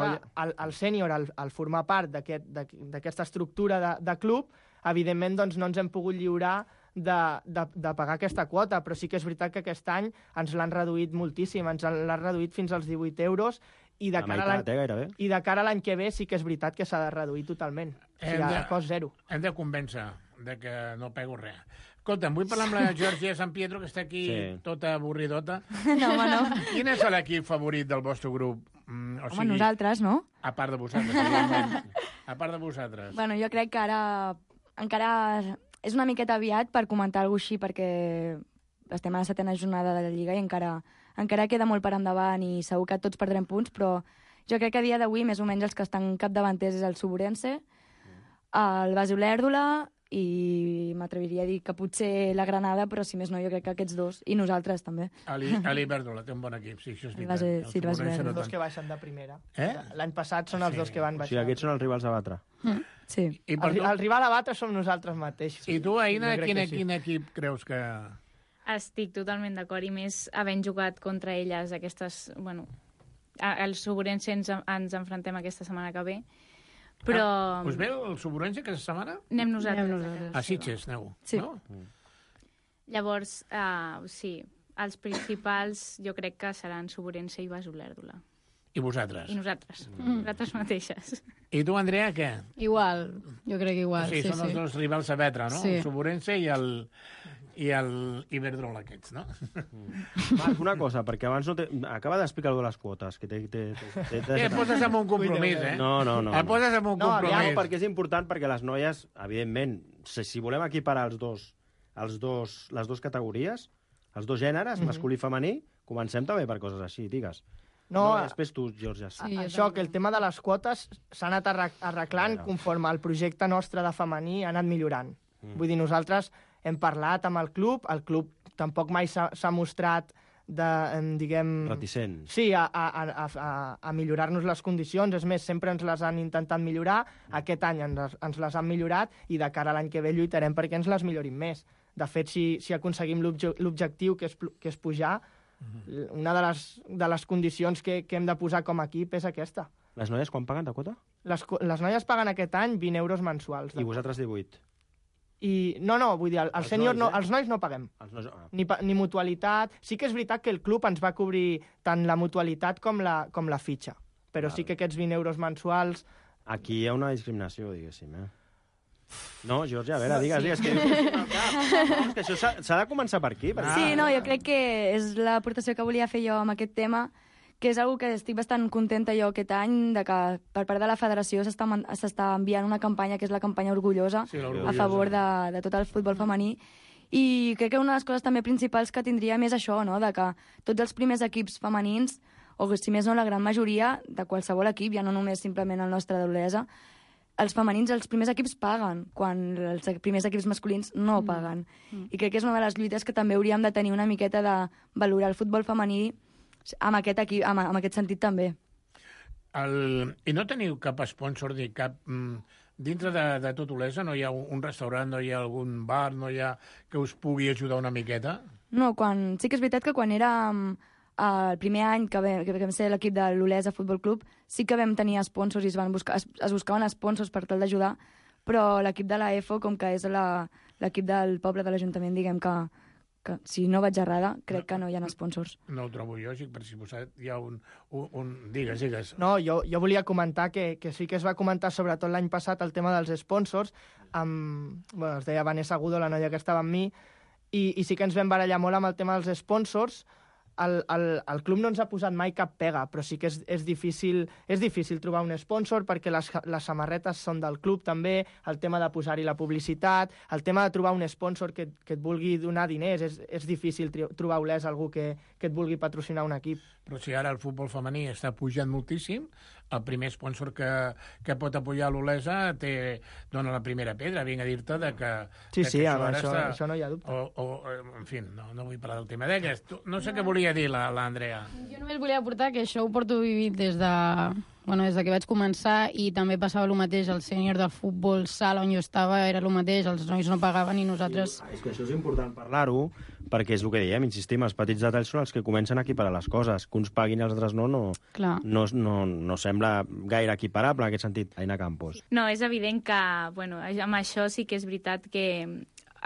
el sènior, al formar part d'aquesta estructura de club, evidentment doncs, no ens hem pogut lliurar de pagar aquesta quota, però sí que és veritat que aquest any ens l'han reduït moltíssim, ens l'han reduït fins als 18 euros, i de cara a l'any que ve sí que és veritat que s'ha de reduir totalment. O sigui, a cost zero. Hem de convèncer de que no pego res. Escolta'm, vull parlar amb la Georgia San Pietro, que està aquí tota avorridota. No, home, no. Quin és l'equip favorit del vostre grup? Home, nosaltres, no? A part de vosaltres, a part de vosaltres. Bueno, jo crec que ara encara és una miqueta aviat per comentar alguna cosa així, perquè estem a la 7ª jornada de la Lliga i encara queda molt per endavant i segur que tots perdrem punts, però jo crec que a dia d'avui més o menys els que estan capdavanters és el Suburense, el Basi Olèrdola i m'atreviria a dir que potser la Granada, però si més no jo crec que aquests dos, i nosaltres també. L'Ibèrdola té un bon equip, sí, això és veritat. Els dos que baixen de primera. L'any passat són els dos que van baixar. O sigui, aquests són els rivals a batre. Sí. El rival a batre som nosaltres mateixos. I tu, Aina, quin equip creus que... Estic totalment d'acord, i més havent jugat contra elles aquestes... Bueno, el Suburense ens enfrontem aquesta setmana que ve, però... Us ve el Suburense aquesta setmana? Anem nosaltres. A Sitges, aneu, sí. No? Llavors, sí, els principals jo crec que seran Suburense i Basi Olèrdola. I vosaltres? I nosaltres, nosaltres mateixes. I tu, Andrea, què? Igual, jo crec que igual. Sí, són els dos rivals a vetre, no? Sí. El Suburense i el Iberdrola aquests, no? Marc, una cosa, perquè abans acaba d'explicar de les quotes. Que et poses amb un compromís, No. Et poses amb un compromís. No, perquè és important, perquè les noies, evidentment, si volem equiparar les dues categories, els dos gèneres, masculí i femení, comencem també per coses així, digues. No, després tu, Georgia. Sí, això, que el tema de les quotes s'ha anat arreglant conforme el projecte nostre de femení ha anat millorant. Vull dir, nosaltres hem parlat amb el club tampoc mai s'ha mostrat diguem... Reticent. Sí, a millorar-nos les condicions. És més, sempre ens les han intentat millorar. Aquest any ens les han millorat i de cara a l'any que ve lluitarem perquè ens les millorin més. De fet, si aconseguim l'objectiu, que és pujar, una de les condicions que hem de posar com a equip és aquesta. Les noies quan paguen de quota? Les noies paguen aquest any 20 euros mensuals. I vosaltres 18? No, vull dir, els nois no paguem. Ni mutualitat. Sí que és veritat que el club ens va cobrir tant la mutualitat com la fitxa. Però sí que aquests 20 euros mensuals... Aquí hi ha una discriminació, diguéssim, No, Georgia, a veure, digues. Que això s'ha de començar per aquí. Sí, no, jo crec que és l'aportació que volia fer jo amb aquest tema, que és una que estic bastant contenta jo aquest any, de que per part de la federació s'està enviant una campanya, que és la campanya Orgullosa, a favor de tot el futbol femení. I crec que una de les coses també principals que tindria més això, no?, de que tots els primers equips femenins, o si més no la gran majoria de qualsevol equip, ja no només simplement el nostre d'Olesa, els femenins, els primers equips paguen, quan els primers equips masculins no paguen. I crec que és una de les lluites que també hauríem de tenir una miqueta de valorar el futbol femení amb aquest sentit també. I no teniu cap sponsor ni cap... Dintre de tot Olesa no hi ha un restaurant, no hi ha algun bar, no hi ha que us pugui ajudar una miqueta? No, sí que és veritat que quan érem el primer any que vam ser l'equip de l'Olesa Futbol Club, sí que vam tenir sponsors i es buscaven sponsors per tal d'ajudar, però l'equip de la EFO, com que és l'equip del poble de l'Ajuntament, diguem que si no vaig errada, crec que no hi ha sponsors. No ho trobo lògic, per si hi ha un... Digues. No, jo volia comentar que sí que es va comentar, sobretot l'any passat, el tema dels sponsors. Es deia Vanessa Agudo, la noia que estava amb mi, i sí que ens vam barallar molt amb el tema dels sponsors. El club no ens ha posat mai cap pega, però sí que és difícil trobar un sponsor perquè les samarretes són del club també, el tema de posar-hi la publicitat, el tema de trobar un sponsor que et vulgui donar diners, és difícil trobar a Olesa algú que et vulgui patrocinar un equip. Però si ara el futbol femení està pujant moltíssim, el primer sponsor que pot apoyar l'Olesa dona la primera pedra, vinc a dir-te que... Sí, això no hi ha dubte. En fi, no vull parlar del tema d'aquest. No sé què volia dir l'Andrea. Jo només volia aportar que això ho porto vivint des que vaig començar, i també passava el mateix al sènior del futbol sala on jo estava, era el mateix, els nois no pagaven i nosaltres... És que això és important parlar-ho, perquè és el que diem, insistim, els petits detalls són els que comencen a equiparar les coses. Que uns paguin i els altres no sembla gaire equiparable en aquest sentit, Aina Campos. No, és evident que, amb això sí que és veritat que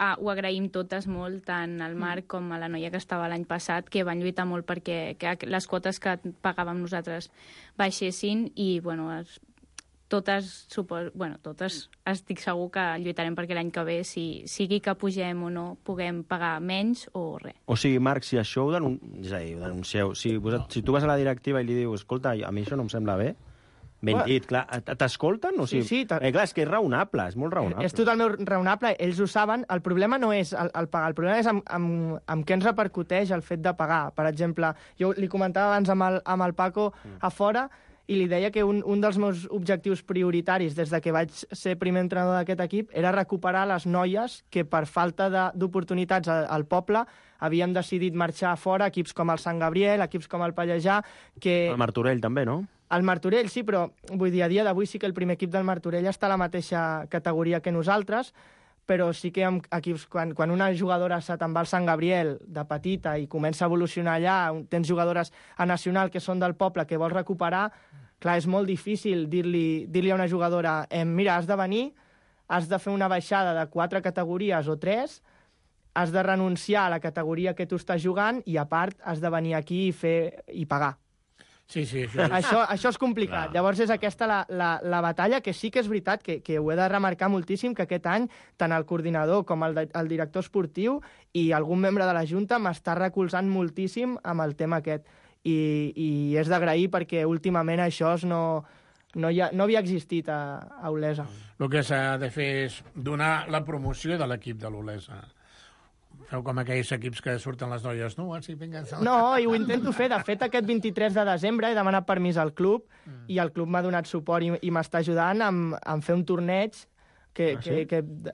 ho agraïm totes molt, tant al Marc com a la noia que estava l'any passat, que van lluitar molt perquè les quotes que pagàvem nosaltres baixessin i, totes estic segur que lluitarem perquè l'any que ve, sigui que pugem o no, puguem pagar menys o res. O sigui, Marc, si això ho denuncieu, si tu vas a la directiva i li dius, escolta, a mi això no em sembla bé, ben dit, clar, t'escolten? O sigui, sí. Clar, és que és raonable, és molt raonable. És totalment raonable, ells ho saben. El problema no és el pagar, el problema és amb què ens repercuteix el fet de pagar. Per exemple, jo li comentava abans amb el Paco a fora, i li deia que un dels meus objectius prioritaris des de que vaig ser primer entrenador d'aquest equip era recuperar les noies que per falta d'oportunitats al poble havien decidit marxar fora, equips com el Sant Gabriel, equips com el Pallejà... El Martorell també, no? El Martorell, sí, però vull dir, a dia d'avui sí que el primer equip del Martorell està a la mateixa categoria que nosaltres, però sí que amb equips, quan una jugadora te'n va al Sant Gabriel de petita i comença a evolucionar allà, tens jugadores a nacional que són del poble que vols recuperar, clar, és molt difícil dir-li a una jugadora mira, has de venir, has de fer una baixada de 4 categories o 3, has de renunciar a la categoria que tu estàs jugant i, a part, has de venir aquí i pagar. Sí, això és complicat. Clar. Llavors és aquesta la batalla, que sí que és veritat que ho he de remarcar moltíssim, que aquest any tant el coordinador com el director esportiu i algun membre de la Junta m'està recolzant moltíssim amb el tema aquest. I és d'agrair perquè últimament això no havia existit a Olesa. El que s'ha de fer és donar la promoció de l'equip de l'Olesa. Feu com aquells equips que surten les noies, no? Sí, vinga. No, i ho intento fer. De fet, aquest 23 de desembre he demanat permís al club i el club m'ha donat suport i m'està ajudant a fer un torneig que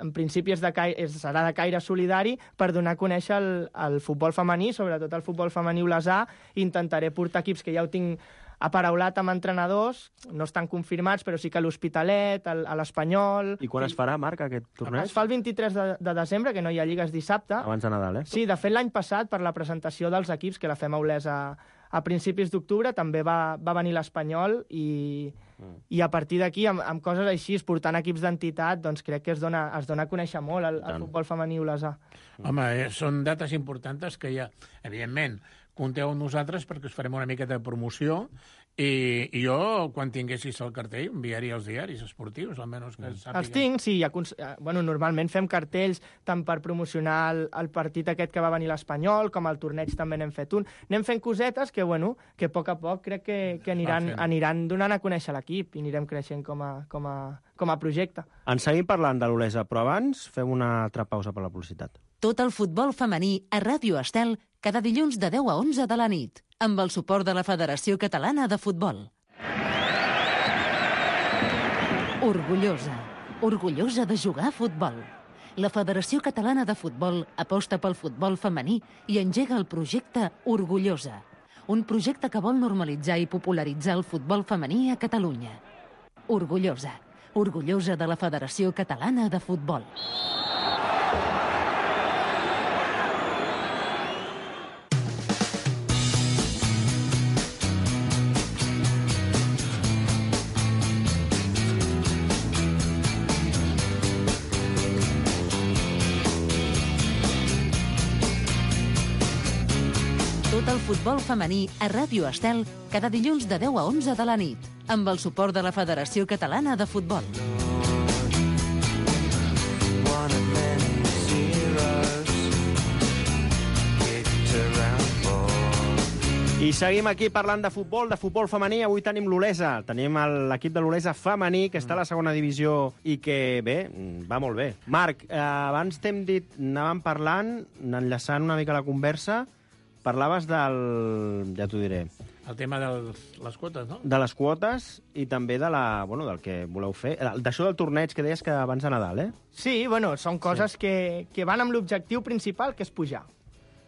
en principi serà de caire solidari per donar a conèixer el futbol femení, sobretot el futbol femení olesà. Intentaré portar equips que ja ho tinc aparaulat amb entrenadors, no estan confirmats, però sí que l'Hospitalet, l'Espanyol... I quan es farà, Marc, aquest torneig? Es fa el 23 de desembre, que no hi ha lligues dissabte. Abans de Nadal, Sí, de fet, l'any passat, per la presentació dels equips, que la fem a Olesa a principis d'octubre, també va venir l'Espanyol i a partir d'aquí, amb coses així, portant equips d'entitat, doncs crec que es dona a conèixer molt el futbol femení olesà. Home, són dates importants que ja, evidentment, compteu amb nosaltres perquè us farem una miqueta de promoció i jo, quan tinguessis el cartell, enviaria als diaris esportius, almenys que sàpiga. Els tinc, sí. Normalment fem cartells tant per promocionar el partit aquest que va venir l'Espanyol, com el torneig també n'hem fet un. Anem fent cosetes que a poc a poc crec que aniran donant a conèixer l'equip i anirem creixent com a projecte. En seguim parlant de l'Olesa, però abans fem una altra pausa per la publicitat. Tot el futbol femení a Ràdio Estel cada dilluns de 10 a 11 de la nit, amb el suport de la Federació Catalana de Futbol. Orgullosa de jugar a futbol. La Federació Catalana de Futbol aposta pel futbol femení i engega el projecte Orgullosa, un projecte que vol normalitzar i popularitzar el futbol femení a Catalunya. Orgullosa de la Federació Catalana de Futbol. Tot el futbol femení a Ràdio Estel cada dilluns de 10 a 11 de la nit, amb el suport de la Federació Catalana de Futbol. I seguim aquí parlant de futbol femení. Avui tenim l'Olesa, tenim l'equip de l'Olesa femení, que està a la segona divisió i que, bé, va molt bé. Marc, abans t'hem dit, anàvem parlant, enllaçant una mica la conversa, parlaves ja t'ho diré. El tema de les quotes, no? De les quotes i també del que voleu fer. D'això del torneig que deies que abans de Nadal, Sí, són coses que van amb l'objectiu principal, que és pujar.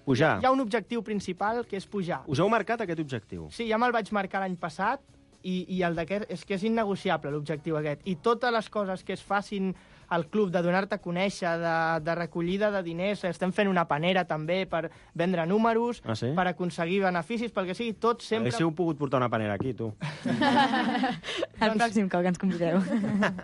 Pujar? Hi ha un objectiu principal, que és pujar. Us heu marcat aquest objectiu? Sí, ja me'l vaig marcar l'any passat i el d'aquest és que és innegociable, l'objectiu aquest. I totes les coses que es facin al club, de donar-te a conèixer, de recollida de diners, estem fent una panera també per vendre números, per aconseguir beneficis, pel que sigui, tot sempre... Hauríeu pogut portar una panera aquí, tu. El pròxim cop que ens convideu.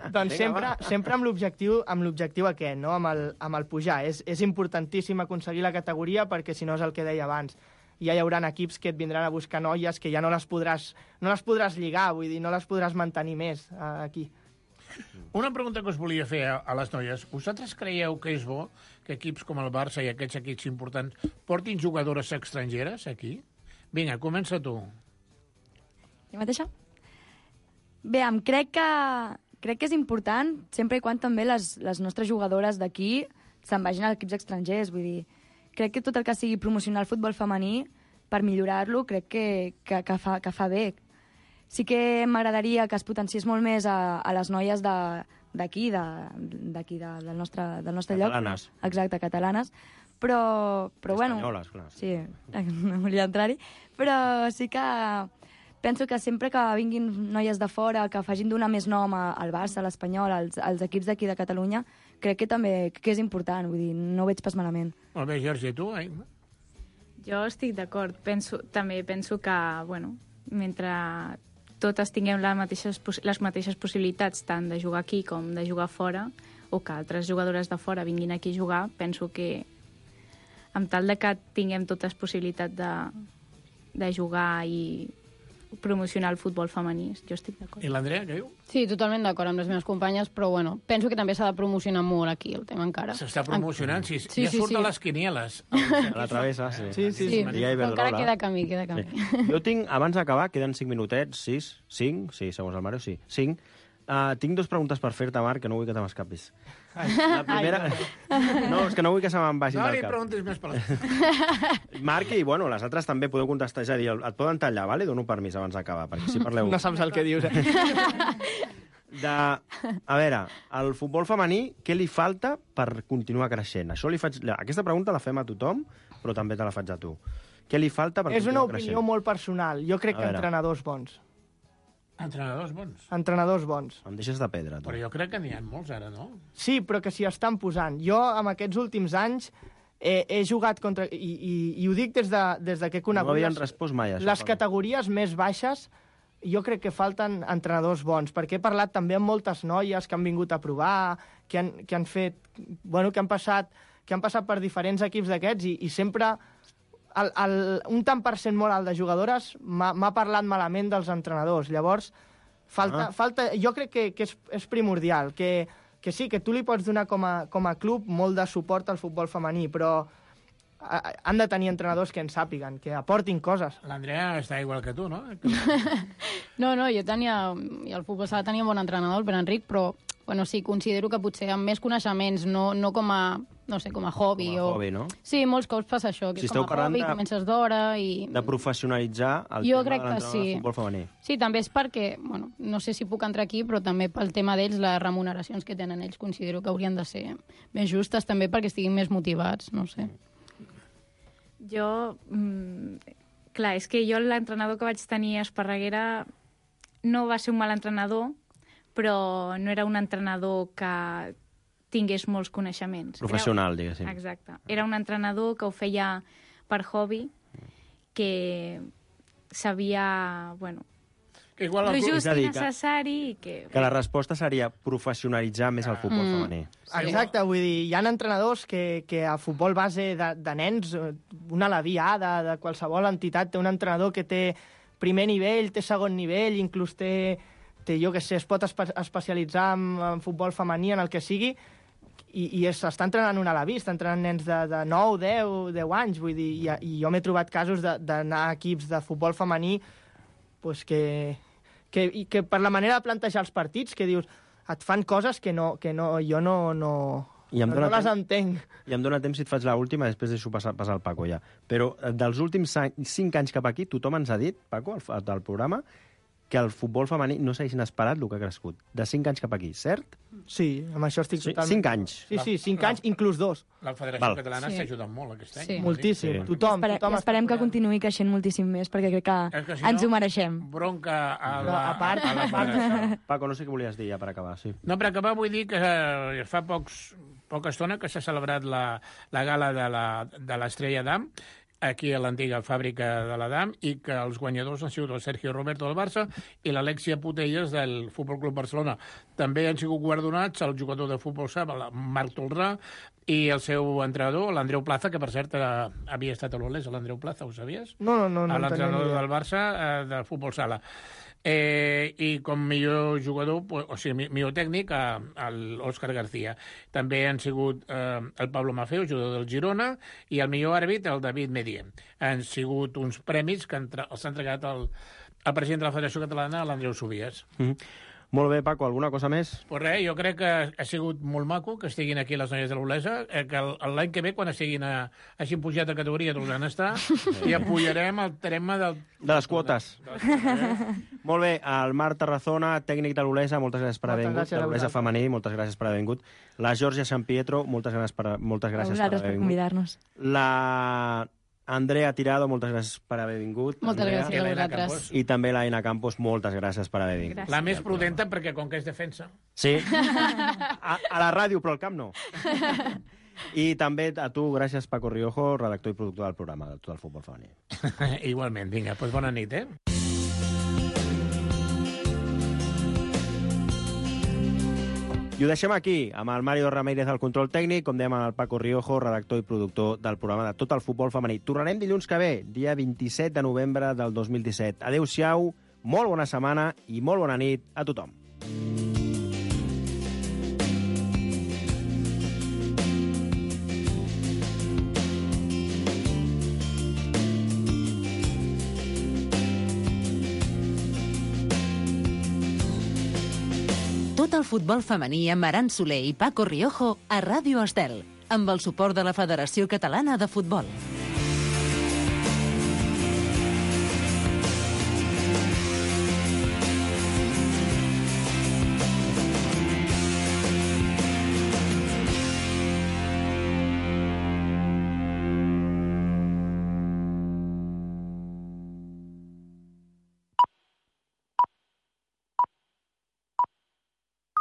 Doncs sempre amb l'objectiu aquest, no? amb el pujar. És importantíssim aconseguir la categoria perquè, si no, és el que deia abans, ja hi haurà equips que et vindran a buscar noies que ja no les podràs lligar, vull dir, no les podràs mantenir més aquí. Una pregunta que us volia fer a les noies. Vosaltres creieu que és bo que equips com el Barça i aquests equips importants portin jugadores estrangeres aquí? Vinga, comença tu. Jo mateixa? Bé, crec que és important, sempre i quan també les nostres jugadores d'aquí se'n vagin a equips estrangers. Vull dir, crec que tot el que sigui promocionar el futbol femení, per millorar-lo, crec que fa bé. Sí que m'agradaria que es potenciés molt més a les noies d'aquí, del nostre lloc. Catalanes. Exacte, catalanes. Però bueno... Espanyoles, clar. Sí, no volia entrar-hi. Però sí que penso que sempre que vinguin noies de fora, que facin donar més nom al Barça, a l'Espanyol, als equips d'aquí de Catalunya, crec que també és important, vull dir, no ho veig pas malament. Molt bé, Jorge, tu? Jo estic d'acord. També penso que, mentre totes tinguem les mateixes possibilitats tant de jugar aquí com de jugar fora, o que altres jugadores de fora vinguin aquí a jugar, penso que amb tal de que tinguem totes possibilitat de jugar i promocionar el futbol femení, jo estic d'acord. I l'Andrea, què diu? Sí, totalment d'acord amb les meves companyes, però penso que també s'ha de promocionar molt aquí el tema encara. S'està promocionant, sí. Ja surt a les quinieles. A la travessa, sí. Sí. Encara queda camí. Jo tinc, abans d'acabar, queden 5 minutets, 5, segons el Mario, sí, 5. Tinc 2 preguntes per fer-te, Marc, que no vull que te m'escapis. La primera... No, és que no vull que se me'n vagin del cap. No li preguntis més per les... Marc, i les altres també podeu contestar. És a dir, et poden tallar, vale? Dono permís abans d'acabar, perquè si parleu... No saps el que dius, A veure, al futbol femení, què li falta per continuar creixent? Aquesta pregunta la fem a tothom, però també te la faig a tu. Què li falta per És una continuar creixent? opinió molt personal. Jo crec que entrenadors bons. Entrenadors bons? Entrenadors bons. Em deixes de pedra, tu. Però jo crec que n'hi ha molts ara, no? Sí, però que s'hi estan posant. Jo, en aquests últims anys, he jugat contra... I ho dic des de que he conegut... No havien respost mai, això. Les categories més baixes, jo crec que falten entrenadors bons, perquè he parlat també amb moltes noies que han vingut a provar, que han fet... Bueno, que han passat per diferents equips d'aquests i sempre un tant per cent molt alt de jugadores m'ha parlat malament dels entrenadors. Llavors, jo crec que és primordial, que sí, que tu li pots donar com a club molt de suport al futbol femení, però han de tenir entrenadors que en sàpiguen, que aportin coses. L'Andrea està igual que tu, no? No, jo tenia... I al futbol sala tenia un bon entrenador, el Pere Enric, però bueno, sí, considero que potser amb més coneixements, no com a... No sé, com a hobby. Com a hobby, no? Sí, molts cops passa això, que si com a hobby, comences d'hora i... De professionalitzar el jo tema crec de l'entrenador de futbol femení. Sí, també és perquè, bueno, no sé si puc entrar aquí, però també pel tema d'ells, les remuneracions que tenen ells, considero que haurien de ser més justes, també perquè estiguin més motivats, no sé. Jo... clar, és que jo l'entrenador que vaig tenir a Esparreguera no va ser un mal entrenador, però no era un entrenador que tingués molts coneixements. Professional, diguéssim. Exacte. Era un entrenador que ho feia per hobby, que sabia, bueno, igual el just i necessari i que... Que la resposta seria professionalitzar més el futbol femení. Exacte, vull dir, hi ha entrenadors que a futbol base de nens, una Alaví A, de qualsevol entitat, té un entrenador que té primer nivell, té segon nivell, inclús té jo què sé, es pot especialitzar en futbol femení, en el que sigui, i s'està entrenant una Alaví, està entrenant nens de 9, 10 anys, vull dir, i jo m'he trobat casos d'anar a equips de futbol femení pues que per la manera de plantejar els partits, que dius, et fan coses que jo no les entenc. I em dóna temps si et faig l'última, després deixo passar el Paco ja. Però dels últims 5 anys cap aquí, tothom ens ha dit, Paco, del programa, que el futbol femení no s'hagi inesperat el que ha crescut. De 5 anys cap aquí, cert? Sí, amb això estic totalment... 5 anys? Sí, 5 anys, inclús 2. La Federació Catalana s'ha ajudat molt aquest any. Sí. Moltíssim. Tothom esperem que continuï creixent moltíssim més, perquè crec que ens ho mereixem. Bronca a la Federació. Paco, no sé què volies dir ja per acabar. Sí. No, per acabar vull dir que fa poca estona que s'ha celebrat la gala de l'Estrella d'Am, aquí a l'antiga fàbrica de l'Adam, i que els guanyadors han sigut el Sergio Roberto del Barça i l'Alexia Putelles del Futbol Club Barcelona. També han sigut guardonats el jugador de futbol sala, Marc Tolrà, i el seu entrenador, l'Andreu Plaza, que per cert havia estat a l'Olesa, l'Andreu Plaza, ho sabies? No. L'entrenador del Barça de futbol sala. I com millor jugador, o sigui, millor tècnic, l'Òscar García. També han sigut el Pablo Mafeo, jugador del Girona, i el millor àrbit, el David Medier. Han sigut uns premis que els ha entregat el president de la Federació Catalana, l'Andreu Subies. Molt bé, Paco, alguna cosa més? Pues res, jo crec que ha sigut molt maco que estiguin aquí les noies de l'Olesa, que l'any que ve, quan hagin pujat de categoria, tornaran a estar, i apujarem el tema de les quotes. Molt bé, el Marc Tarazona, tècnic de l'Olesa, moltes gràcies per haver vingut. De l'Olesa femení, moltes gràcies per haver vingut. La Georgia San Pietro, moltes gràcies per haver vingut. A vosaltres per convidar-nos. La Andrea Tirado, moltes gràcies per haver vingut. Moltes gràcies a vosaltres. I també l'Aina Campos, moltes gràcies per haver vingut. La més prudenta, perquè com que és defensa. Sí. A la ràdio, però al camp no. I també a tu, gràcies, Paco Riojo, redactor i productor del programa de Tot el Futbol Femení. Igualment, vinga, doncs bona nit, I ho deixem aquí, amb el Mario Ramírez al control tècnic, com dèiem, el Paco Riojo, redactor i productor del programa de Tot el Futbol Femení. Tornarem dilluns que ve, dia 27 de novembre del 2017. Adéu-siau, molt bona setmana i molt bona nit a tothom. Tot el futbol femení amb Aran Soler i Paco Riojo a Ràdio Estel, amb el suport de la Federació Catalana de Futbol.